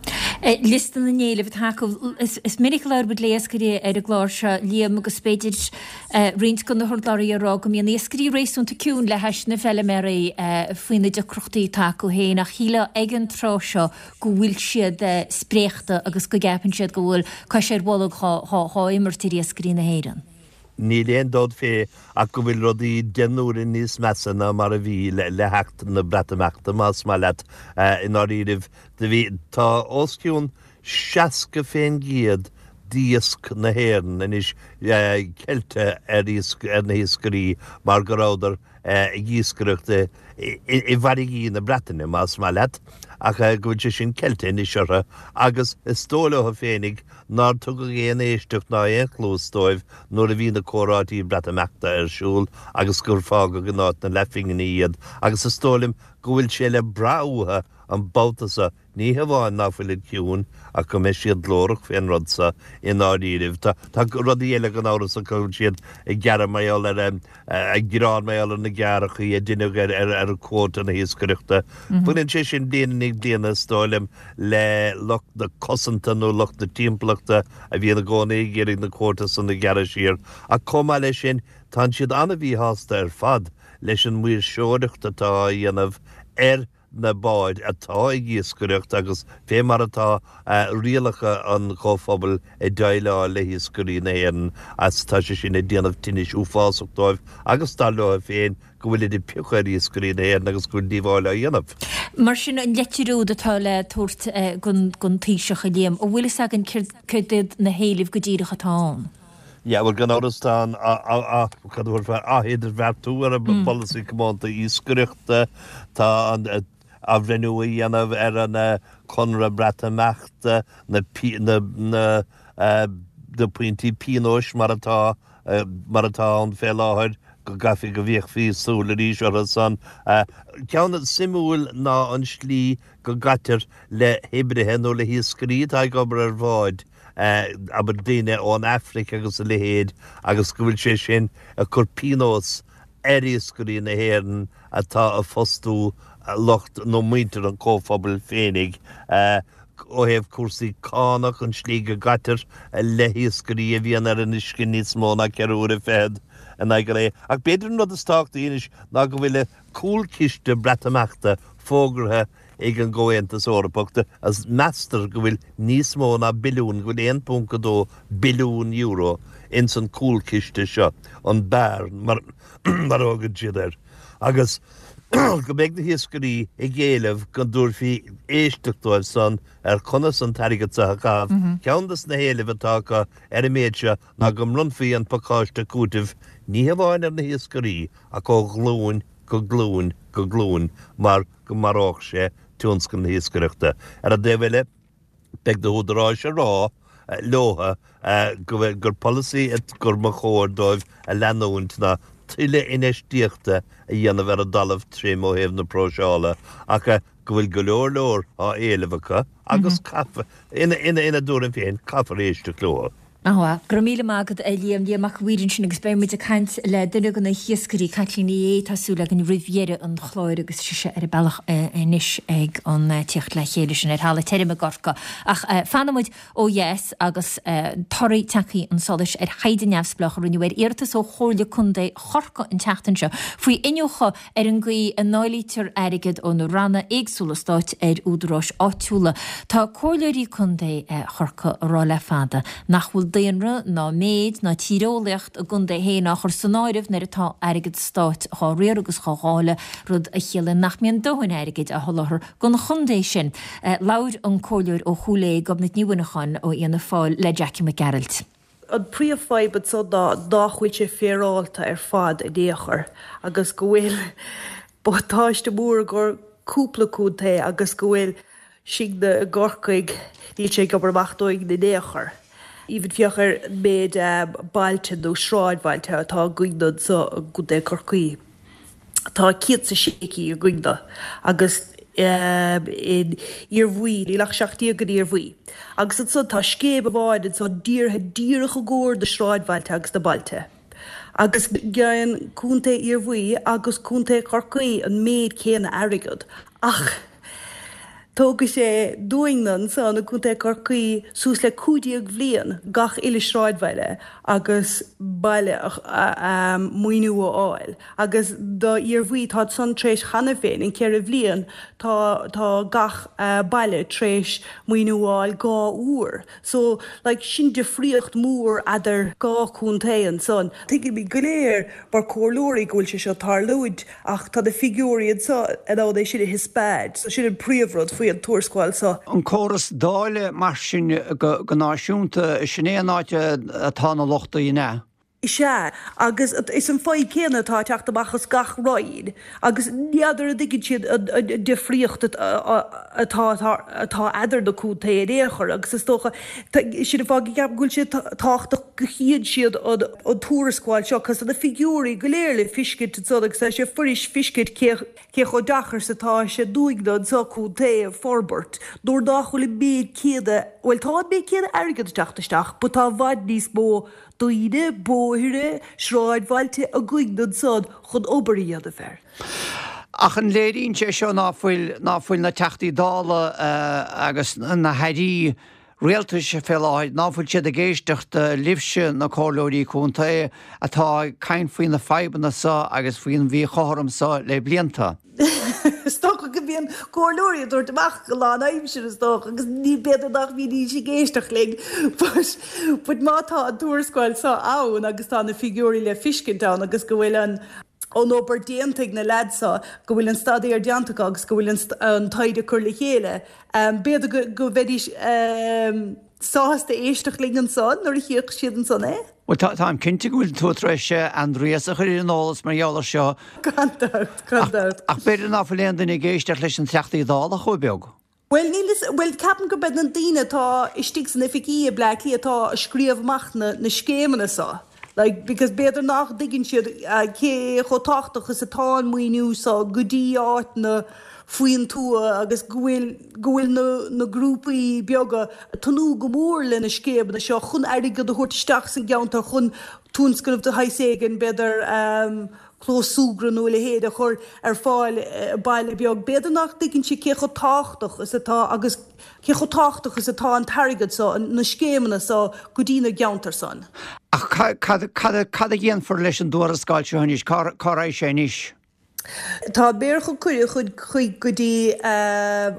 Liosta na n-éileamh atá acu. Is minic a labhair muid le iascairí ar an gclár seo, Liam, agus b'fhéidir roinnt de na hurlabhraí ag rá go mbíonn iascairí réasúnta ciúin le hais na bhfeiliméaraí faoi na deacrachtaí atá acu féin ach shílfeá ag an tráth seo go bhfuil siad spréachta agus go gceapann siad go bhfuil cois ar bholg dhá imirt ar iascairí na hÉireann. Níl aon dabht fé ach go bhfuil rudaí deich n-uaire níos measa ná mar a bhí le theacht na Breatimeachta, más maith leat. I ndáiríribh, do bhí, tá os cionn 60% d'iasc na hÉireann anois ceilte ar iasc, ar na hiascairí mar go rabhadar ag iascaireacht i bhfarraigí na Breataine, más maith leat, ach go bhfuil sé sin ceilte anois orthu agus is dóigh leo féinig nár tugadh aon éisteacht ná aon chluas dóibh nuair a bhí na comhráití Breatimeachta ar siúl agus gur fágadh in áit na leathphingine iad agus is dóigh liom go bhfuil sé le brath uathu. an babhta so, ní hamháin ná fuilid ciúin ach go mbeidh siad glórach fén rud so i ndáiríribh. Tá, tá rudaí eile gan amhras acu, go bhfuil siad ag gearradh mar gheall ar, ag gearán mar gheall ar na gearrachaí a deineadh ar, ar, ar quota na hiascaireachta. Baineann sé sin bliain i ndiaidh bliana, is dóigh liom, le lucht na cosanta nó lucht na timpeallachta a bhíonn i gcónaí ag iarraidh na quota san a ghearradh siar. Ach chomh maith leis sin, tánn siad an-mhíshásta ar fad leis an maoirseoireacht atá á dhéanamh ar na báid atá ag iascaireacht agus fé mar atá rialacha an Chomhphobail ag déileáil le hiascairí na hÉireann agus tá sé sin ag déanamh tinnis uafásach dóibh agus dar leo féin go bhfuilid ag piocadh ar iascairí na hÉireann agus go bhfuil díobháil á dhéanamh. Mar sin, an leitir úd atá le tabhairt don Taoiseach, a Liam, an bhfuil fhios againn céard iad na héilimh go díreach atá ann? Yeah, bhuel, gan amhras tá an, cad a thabharfá, ath-idirbheartú ar an bpolasaí comónta iascaireachta, tá an athbhreithniú a dhéanamh ar an conradh Breatimeachta, na, na, na pointí pionóis mar atá, mar atá ann fé láthair, go gcaithfí go bhféachfaí súil arís orthu san. Ceann suimiúil ná an slí go gcaitear le hoibrithe nó le hiascairí atá ag obair ar bháid, abair daoine ón Afraic agus a leithéid agus go bhfuil sé sin ag cur pionós ar iascairí na hÉireann atá ag fostú lucht nó muintir an chomhphobail féinig ó thaobh cúrsaí cánach, an slí go gcaitear le hiascairí a bhíonn ar an uisce níos mó ná 4 uaire fichead in aghaidh an lae. Ach b'fhéidir an rud is tábhachtaí anois ná go bhfuil cúlchiste Breatimeachta fógartha ag an gComhaontas Eorpach agus meastar go bhfuil níos mó ná billiún, go bhfuil €1.2 billiún ins an cúlchiste seo, an bearn mar a thugann siad air, agus go mbeidh na hiascairí ag éileamh go dtabharfaí éisteacht dóibh san ar conas an t-airgead seo a chaitheamh. Ceann des na héilimh atá acu ar an méid seo ná go mbronnfaí an pacáiste cúitimh ní hamháin ar na hiascairí ach ó ghlúin go glúin go glúin mar go maródh sé tionscal na hiascaireachta. Ar an dtaobh eile, beidh na húdaráis ag rá leotha go bhfuil, gur polasaí gur mba chóir dóibh a leanúint ná tuilleadh infheistíochta a dhéanamh ar an dtalamh tirim ó thaobh na próiseála ach go bhfuil go leor leor á éileamh acu agus caithfear, ina dtuairim féin, caithfear éisteacht leo. Ana-mhaith. Go raibh míle maith agat, a Liam. Liam Mac a' Mhaoir ansin agus beidh muid ag caint le duine de na hiascairí, Caitlín Ní Aodha, tá súil againn, roimh dheireadh an chláir agus sise ar a bealach anois ag an tíocht le chéile sin ar thalamh tirim i gCorcaigh. Ach fanfaidh muid ó dheas agus torthaí tagtha chun solais ar thaighde neamhspleách a rinneadh ar iarratas ó Chomhairle Contae Chorcaí an tseachtain seo faoi iniúchadh ar an gcaoi a ndáilítear airgead ó na ranna éagsúla stáit ar údaráis áitiúla. Tá comhairleoirí contae Chorcaí ag rá le fada nach bhfuil daonra ná méid ná tíreolaíocht a gcontae féin á chur san áireamh nuair atá airgead stáit dhá riar agus dhá dháileadh, rud a chiallaíonn nach mbíonn dóthain airgid á sholáthar don chontae sin. Labhair an comhairleoir ó Chúil Aodha, Gobnait Ní Mhuineacháin ó Fhianna Fáil le Jackie Mac Gearailt. An príomhfhadhb anso ná nách bhfuil sé féaráilte ar fad in aon chor agus go bhfuil buntáiste mór i gcomhair cúpla contae agus go bhfuil sinne i gCorcaigh, níl sé ag obair amach dúinn in aon chor. Even féach ar an méid bailte nó sráidbhailte atá againn anso i gContae Chorcaí. Tá 106 cinn againne agus in Iarmhaí, níl ach 17 in Iarmhaí. Agus ansan tá scéim amháin ansan dírithe díreach i gcomhair na sráidbhailte agus na bailte. Agus geibheann Contae Iarmhaí agus Contae Chorcaí an méid céanna airgead ach tógfaidh sé dúinne ansan i gContae Chorcaí suas le 15 bhliain gach uile sráidbhaile agus baile a maoiniú a fháil. Agus do Iarmhaí tá san tar éis cheana féin, in 4 bhliain tá tá gach baile tar éis maoiniú a fháil 2 uair. So like sin difríocht mór eadar dhá chontae ansan. Tuigimid go léir mar comhairleoirí go bhfuil sé seo ag tarlúint Ach tá na figiúirí anseo in ann é sin a thaispeáint, so sin an príomhrud faoi an tuarascáil seo. An córas dáileadh mar sin go náisiúnta, sin é an áit atá na lochtaí, an ea? Is ea, agus is an fadhb céanna atá ag teacht amach as gach roinn agus n'fheadar an dtuigeann siad an difríocht atá atá eadar na contaetha in aon chor agus is dócha, sin an fáth go gceapaim go bhfuil sé tábhachtach go chíonn siad an tuarascáil seo cos tá na figiúirí go léir le fiscint ansan agus tá sé fuirist fiscint cé cé chomh deacair is atá sé dúinne anseo contae a forbairt nuair nach bhfuil an méid céanna, bhuel tá an méid céanna airgead ag teacht isteach but tá i bhfad níos mó daoine, bóithre, sráidbhailte againn ansan chun obair a dhéanamh air. Ach an léiríonn sé seo ná fuil, ná fuil na Teachtaí Dála agus na hAirí Rialtais fé láthair, ná fuil siad ag éisteacht libhse, na Comhairleoirí Contae, atá ag caint faoi na fadhbanna so agus faoin mhíchothrom so le blianta? Is dócha go mbíonn comhairleoirí ag tabhairt amach go lán aimsir is dócha agus ní b'fhéidir nach mbídís ag éisteacht linn but but má tá an tuarascáil seo ann agus tá na figiúirí le fiscint ann agus go bhfuil an an obair déanta ag na leaids seo, go bhfuil an staidéar déanta acu agus go bhfuil an an taighde curtha le chéile, b'fhéidir go go mbeidís sásta éisteacht linn ansan nuair a chífeadh siad ansan é. Bhuel, táim cinnte go bhfuil tú tar éis Aindrias a chur ar an eolas mar gheall air seo. Gan dabht, gan dabht. Ach b'fhéidir ná fuil aon duine ag éisteacht leis an Teachtaí Dála chomh beag. Bhuel, níl fhios, bhuel, ceapaim gurb iad na daoine atá istigh san oifigí i Bleá Cliath atá ag scríobh amach na, na scéimeanna seo. Like, because b'fhéidir nach dtuigeann siad cé chomh tábhachtach is atá an maoiniú seo go dtí áiteanna faoin tuath agus go bhfuil, go bhfuil na, na grúpaí beaga ag tnúth go mór le na scéimeanna seo chun airgead a thabhairt isteach san gceantar chun tionscnamh de shaghas éigin, b'fhéidir clós súgradh nó a leithéid a chur ar fáil i baile beag. B'fhéidir nach dtuigeann siad cé chomh tábhachtach is atá agus. Cé chomh tábhachtach is atá an t-airgead so, na scéimeanna so, go dtí na gceantair san? Ach cad cad a dhéanfar leis an dtuarascáil seo anois? Cá raghaidh sé anois? Tá méar chun cuireadh chun chuig go dtí an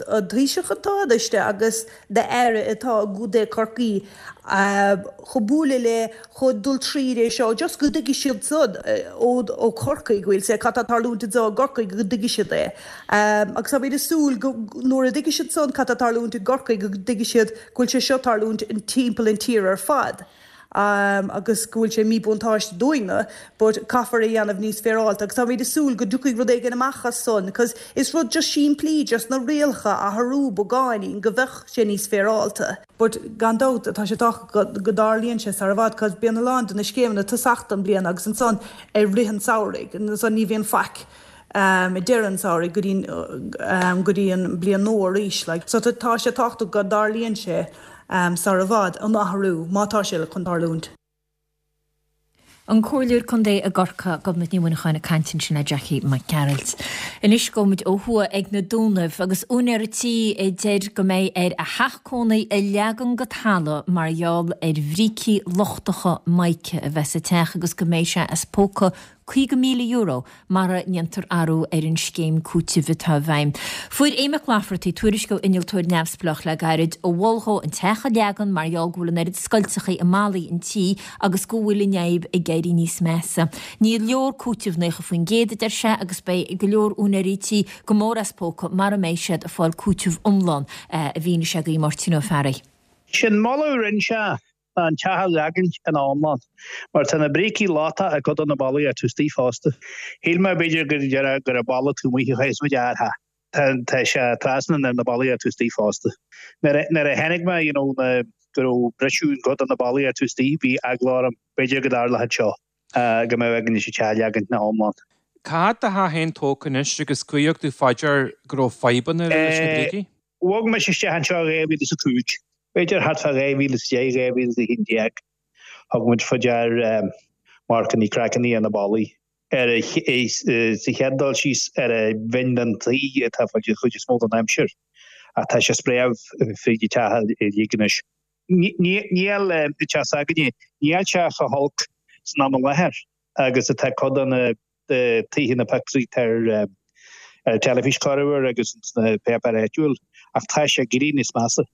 Taoiseach an Tánaiste agus na Aire atá i gContae Chorcaí chun bualadh le chun dul tríd é seo just go dtuigfidh siad san ó Chorcaigh go bhfuil sé cad tá tarlúint anseo i gCorcaigh go dtuigfidh siad é. Agus táimid ag súil go nuair a dtuigfidh siad san cad tá tarlúint i gCorcaigh go dtuigfidh siad go bhfuil sé seo tarlúint in timpeall an tír ar fad agus go bhfuil sé míbhuntáiste dúinne but caithfear é dhéanamh níos féaráilte agus táimid ag súil go dtiocfaidh rud éigin amach as san cos is rud just simplí just na rialacha a athrú beagáinín go bheadh sé níos féaráilte. But gan dabht, tá sé tábhachtach go dtarlaíonn sé sar i bhfad, cos bíonn a lán de na scéimeanna tosach don bliain agus ansan i rith an tsamhraidh, ansan ní bhíonn faic ag deireadh an tsamhraidh go dtí go dtí an bliain nua arís like. So tá sé tábhachtach go dtarlaíonn sé sar i bhfad, an athrú, má tá sé chun tarlúint. An Comhairleoir Contae i gCorcaigh, Gobnait Ní Mhuineacháin ag caint ansin le Jackie Mac Gearailt. Anois gabhfaimid ó thuaidh ag na Dúnaibh agus úinéir tí a deir go mbeidh air a theach cónaí a leagan go talamh mar gheall ar bhrící lochtacha mica a bheith sa teach agus go mbeidh sé as póca €50,000 mara ndéantar athrú ar an scéim cúitimh atá i bhfeidhm. Fuair Aodh Mac Laifeartaigh tuairisc ó innealtóir neamhspleách le gairid a mhol dhó an teach a leagan mar gheall go bhfuil an oiread scoilteachaí i mballaí an tí agus go bhfuil an fhadhb ag éirí níos measa. Ní leor cúiteamh 90% a deir sé agus beidh go leor úinéirí tí go mór as póca mara mbeidh siad ag fáil cúiteamh iomlán, a mhínigh sé do Mháirtín Ó Fearraigh. Sé'n moladh a rinne sé ná an teach a leagaint ina iomlán, mar tá na brící lochtach i gcuid de na ballaí atá istigh fosta. Shíl mé b'fhéidir go déarfá go raibh balla taobh amuigh a chaithfeas muid a athrú. Tá tá sé trasna ar na ballaí atá istigh fosta. Nuair a nuair a chonaic mé you know na go raibh briseadh i gcuid de na ballaí atá istigh bhí eagla orm b'fhéidir go dtarlódh seo go mbeadh againn an teach a leagaint ina iomlán. Cá fhad tá do theach féin tógtha anois agus cá thug tú fá dear go raibh fadhbanna leis na brící? Bhog mise isteach anseo i 2005, b'fhéidir thart fá 2010, 2011. Thug muid faoi dear marcannaí, craiceannaí ar na ballaí. Ar a, sa chéad dul síos, ar an bhinn den tuí atá fáil an chuid is mó den aimsir. Ach tá sé spréamh fríd an teach uilig anois. Níl an teach s'againne, níl sé chomh holc san am i láthair agus atá cuid de na tithe na pictiúirí atá ar an teilifís corruair agus sna páipéir áitiúil, ach tá sé ag éirí níos measa.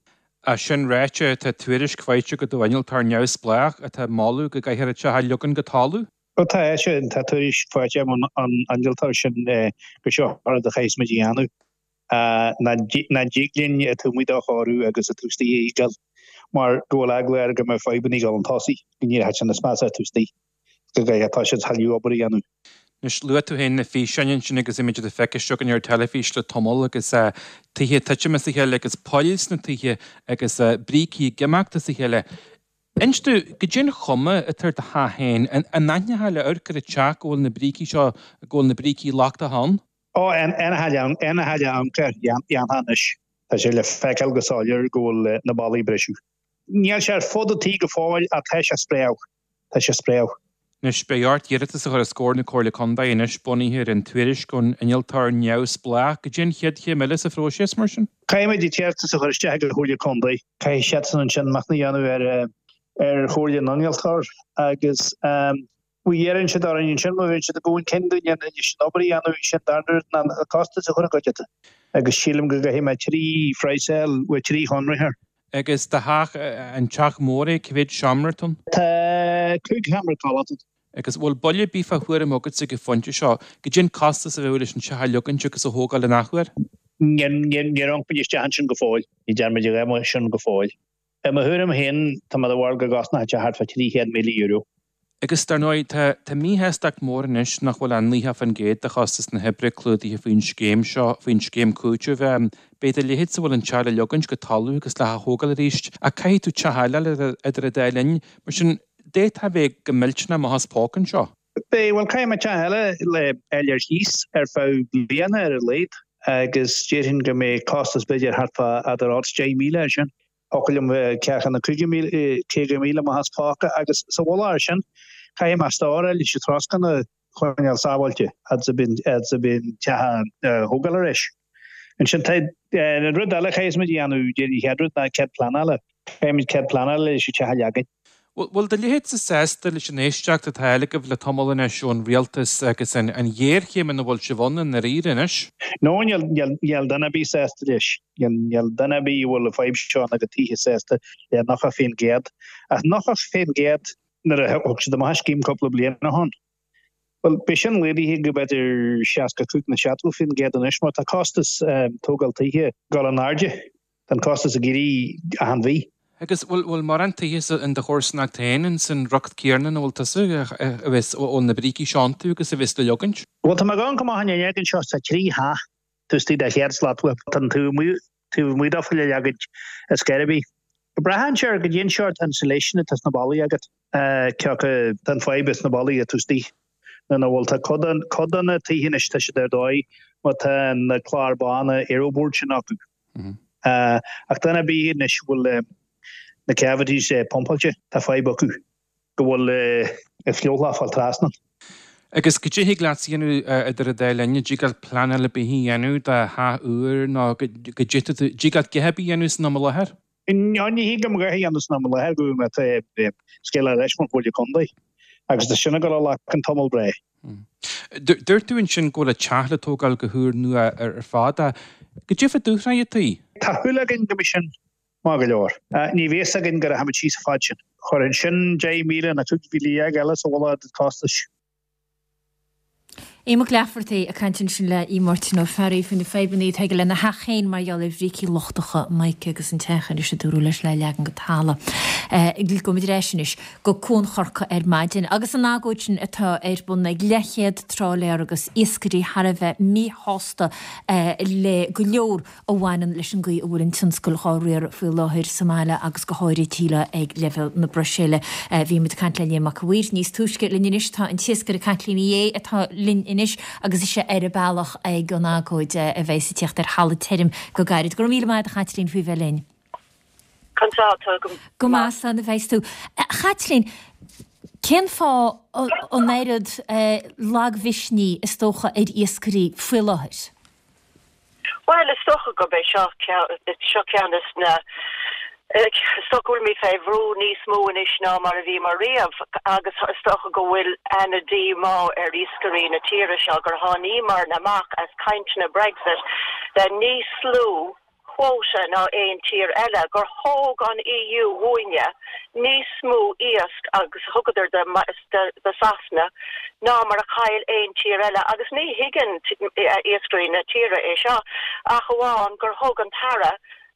É sin ráite, tá tuairisc faighte agat ó innealtóir neamhspleách atá ag moladh go gcaithfear an teach a leagan go talamh. Ó tá, sin, tá tuairisc faighte agam ón innealtóir sin gur seo an rud a chaithfeas muid a dhéanamh. Nach dtig linn an taobh amuigh do chóiriú agus an taobh istigh a fhágáil. mar go bhfuil eagla air go mbeidh fadhbanna ag dul chun tosaigh, go n-éireoidh sé níos measa taobh istigh, go gcaithfidh tá siad thuilleadh obair a dhéanamh. Anois, luaigh tú féin na físeáin ansin agus bhí muid ag feiceáil againn ar teilifís le tamall agus tithe ag titim as a chéile agus poill sna tithe agus brící ag imeacht as a chéile. Inis domh, goidé an chuma atá ar do theach féin, an aithneofá le amharc ar an teach go bhfuil na brící seo, go bhfuil na brící lochtacha ann? Ó, aon amharc air, dhéanfá anois. Tá sé le feiceáil go soiléir go bhfuil na ballaí ag briseadh. Níl sé ar fud an tí go fóill ach tá sé ag spréadh. Tá sé ag spréadh. Anois, beidh ort iarratas a chur os comhair na Comhairle Contae anois, bunaithe ar an tuairisc ón innealtóir neamhspleách. Goidé an chéad chéim eile sa phróiseas, mar sin? Caithfimid an t-iarratas a chur isteach ag an Chomhairle Contae. Caithfidh siadsan ansin machnamh a dhéanamh ar ar chomhairle na n-innealtóir agus má iarrann siad orainn ansin, má bhíonn siad ag dul chun cinn dúinn leis an obair a dhéanamh, sin darna rud ná an costas a chur i gcuideachta. Agus sílim go gcaithfidh mé trí phraghsáil, bhuel trí chonraitheoir. Agus do theach, an teach mór é, cá mhéad seomra atá ann? Tá 5 sheomra codlata ann. Agus bhfuil buille ar bith fá thuairim agatsa ag an phointe seo, goidé an costas a bheadh leis an teach a leogaint agus a thógáil in athuair? Níor amharc muid isteach ansin go fóill. Ní dearn muid a dhath sin go fóill. I mo thuairim féin, tá mé de bharúil go gcosnódh sé thart fá €300,000. Agus dar ndóigh, tá tá míshástacht mór anois nach bhfuil ach 90% de chostas na hoibre clúdaithe faoin scéim seo, faoin scéim cúitimh. Beidh do leithéidse a bhfuil an teach le leogaint go talamh agus le hath-thógáil arís, ach caithfidh tú teach eile a fháil idir an dá linn. Mar sin, d'fhéadfá a bheith go millteanach amach as póca anseo. Beidh, bhuel, caithfidh mé teach eile le fháil ar chíos ar feadh bliana ar a laghad agus déarfainn go mbeidh costas b'fhéidir thart fá idir 8 is 10,000 air sin. Thiocfadh liom bheith ceathracha nó 50,000, 50,000 amach as póca agus sa mhullach air sin, caithfidh mé stóráil leis an troscán a choinneáil sábháilte fhad is a bhíonn, fhad is a bhíonn teach á thógáil ar ais. Ansin tá an rud eile a chaithfeas muid a dhéanamh, déarfainn an chéad rud ná cead pleanála. Caithfidh muid cead pleanála leis an teach a leagan. Bhfuil do leithéidse sásta leis an éisteacht atá á fháil agaibh le tamall anois ón rialtas agus an ghéarchéim ina bhfuil sibh ann i ndáiríre anois? No, níl, níl duine ar bith sásta leis. Níl duine ar bith a bhfuil an fadhb seo ina gcuid tithe sásta le 90%. Ach 90% nuair a thug siad amach an scéim cúpla bliain ó shin. Bhuel, beidh sin laghdaithe go b'fhéidir 65 nó 70% anois mar tá costas tógáil tithe ag dul in airde. Tá an costas ag éirí achan mhí. Agus bhfuil, bhfuil mórán tithe sa, in do chomharsanacht féin, ins an riocht céarna ina bhfuil tusa, a bheas, a bhfuil na brící seo iontu agus a bheas le leogaint? Bhuel, tá mé ag amharc amach an fhuinneog anseo, tá 3 theach taobh istigh de chéad slat uaim. Tá an taobh amuigh, taobh amuigh dófa le leagaint ar scor ar bith. Braitheann sé ar goidé an seort insulation atá sna ballaí agat. Cé acu, tá an fadhb sna ballaí atá istigh nó nach bhfuil. Tá cuid de, cuid de na tithe anois, tá siad ar dóigh má tá na cláir bána aeroboard sin acu. Ach duine ar bith anois a bhfuil na cavities pumpáilte, tá fadhb acu go bhfuil an fliuchlach ag fáil trasna. Agus goidé thig leat a dhéanamh idir an dá linn, an dtig leat pleanáil ar bith a dhéanamh do theach úr nó go dtig leat a dhath ar bith a dhéanamh san am i láthair? Ní thig liom a dhath a dhéanamh san am i láthair go bhfaighidh mé scéal ar ais ón Chomhairle Contae agus tá sin ag dul a ghlacadh tamall breá. Dúirt tú ansin go bhfuil an teach le tógáil go húrnua ar fad. Goidé fá dúshraith an tí? Tá súil againn go mbeidh sin maith go leor. Ní bheidh a fhios againn go rachaimid síos an fad sin. Chuirfinn sin 10,000 nó 15,000 eile sa mhullach ar costais. Aodh Mac Laifeartaigh ag caint ansin le Aodh Máirtín Ó Fearraigh faoi na fadhbanna atá aige lena theach féin mar gheall ar bhrící lochtacha mica agus an teach anois a dúradh leis le leagan go talamh. Gabhfaimid ar ais anois go Cuan Chorcaí ar maidin agus an agóid sin atá ar bun ag leathchéad trálaer agus iascairí thar a bheith míshásta le go leor a bhaineann leis an gcaoi a bhfuil an tionscal dhá riaradh faoi láthair sa mbaile agus go háirithe sílim ag leibhéal na Bruiséile. Bhí muid ag caint le Liam Mac a' Mhaoir níos túisce linn anois. Tá an t-iascaire Caitlín Uí Aodha atá linn anois agus ise ar a bealach ag an agóid a bheas ag tíocht ar thalamh tirim go gairid. Go raibh míle maith agat a Chaitlín faoi bheith linn. Conas tá tú? Go Go maith, slán a bheas tú. A Chaitlín, cén fáth an oiread lagmhisnigh is dócha ar iascairí faoi láthair? Bhuel, is dócha gurb é seo seo ceann de na, is dócha go bhfuilimid fé bhrú níos mó anois ná mar a bhíomar riamh agus is dócha go bhfuil ana-dhíomá ar iascairí na tíre seo gur tháiníomar amach as cainteanna Brexit le níos lú quota ná aon tír eile, gur thóg an EU uainne níos mó iasc agus thugadar do Sasana ná mar a chaill aon tír eile agus ní thuigeann iascairí na tíre é seo ach amháin gur thug an tAire.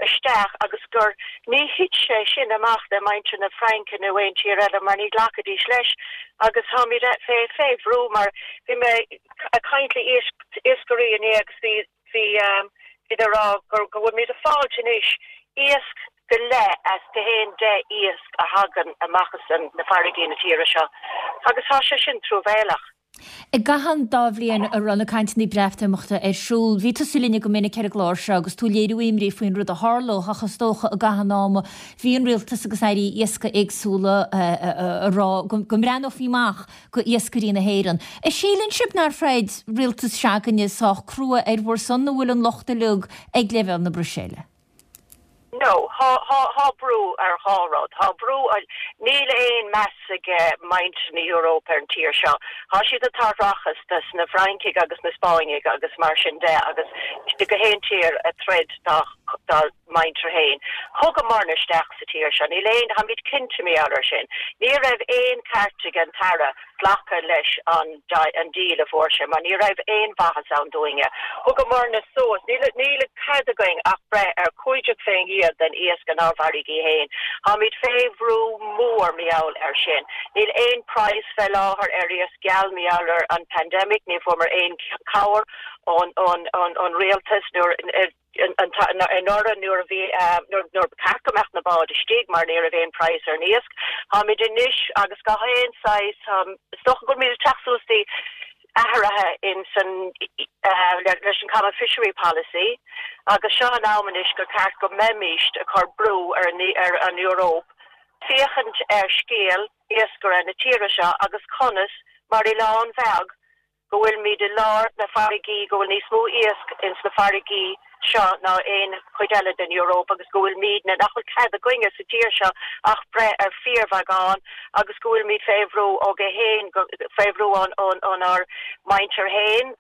isteach agus gur ní thit sé sin amach le muintir na Fraince nó aon tír eile mar ní ghlacfaidís leis agus táimid fé fé bhrú mar bhí mé ag caint le iascairí inné agus bhí bhí siad ag rá gur go bhfuilimid ag fáilt anois iasc go leith as gach aon 10 iasc a thagann amach as na farraigí na tíre seo agus tá sé sin truamhéalach. I gcaitheamh an dá bhliain a raibh na cainteanna Breatimeachta ar siúl, bhí tusa linne go minic ar an gclár seo agus tú ag léiriú imní faoin rud a tharlódh ach is dócha i gcaitheamh an ama bhí an rialtas agus airí iascaigh éagsúla ag rá go mbreathnófaí amach go iascairí na hÉireann. An síleann sibh nár throid rialtas se'againne sách crua ar bhur son nó bhfuil an locht uilig ag leibhéal na Bruiséile? No, thá, thá, thá brú ar dhá rud. Thá brú, níl aon meas ag muintir na hEurópa ar an tír seo. Thá siad ag tabhairt rachas dos na Fraincigh agus na Spáinnigh agus mar sin de agus gach aon tír ag troid dá, dá muintir féin. Thugamarna isteach sa tír seo. Níl aon, tháimid cinnte mar gheall ar sin. Ní raibh aon ceart ag an tAire glacadh leis an an deal a fuair sé mar ní raibh aon mhaitheas ann dúinne. Thugamarna suas, níl níl cead againn ach breith ar 15% den iasc inár bhfarraigí féin. Táimid fé bhrú mór mar gheall ar sin. Níl aon praghas fé láthair ar iasc geal mar gheall ar an pandemic, ní fuaireamar aon cabhair ón ón ón rialtas nuair anuraidh nuair a bhí, nuair ba cheart go mbeadh na báid istigh mar ní raibh aon praghas ar an iasc. Táimid anois agus gach aon saghas, is dócha go bhfuilimid ag teacht suas dtí athruithe in san, leis an Common Fishery Policy agus seo an am anois gur ceart go mbeimíst ag cur brú ar an Eoraip féachaint ar scéal iascaire na tíre seo agus conas mar oileán bheag go bhfuilimid i lár na farraigí, go bhfuil níos mó iasc ins na farraigí seo ná aon chuid eile den Euróip agus go bhfuilimidne, nach bhfuil cead againne sa tír seo ach breith ar fíorbheagán agus go bhfuilimid fé bhrú ó gach aon, fé bhrú ón, ón, ónár muintir féin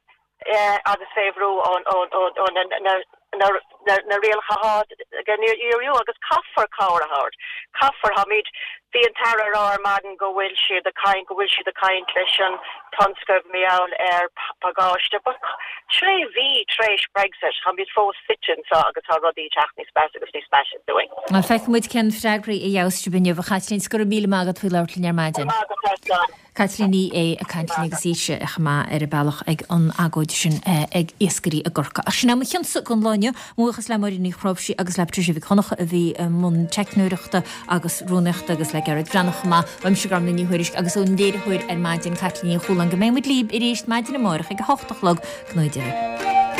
agus fé bhrú ón, ón, ón, ó na, na, na rialacha atá ag an EU agus caithfear cabhair a thabhairt. Caithfear. Táimid, bhí an tAire ag rá ar maidin go bhfuil siad ag caint, go bhfuil siad ag caint leis an tionscal mar gheall ar pacáiste but tré mhí tar éis Brexit táimid fós suite anseo agus tá rudaí ag teacht níos measa agus níos measa dúinn. Feicfidh muid cén freagraí a gheobhas sibh inniu, a Chaitlín. 's go raibh míle maith agat faoi labhairt linn ar maidin. Go raibh maith agat, a Sláine. Caitlín Ní Aodha ag caint linn agus ise chomh maith ar a bealach ag an agóid sin ag iascairí i gCorcaigh. Ach sin é mo chionsa don lá inniu. Mo bhuíochas le Máirín Ní Chnáimhsí agus le Patricia Mhic Dhonncha a bhí i mbun teicneoireachta agus rúnaíochta agus le Gearóid Breathnach chomh maith. Uaimse Gormlaith Ní Thuairisg agus ón léiritheoir ar maidin, Caitlín Ní Chualáin. Go mbeidh muid libh arís maidin amárach ag a hocht a chlog. Go ngnóthaí Dia libh.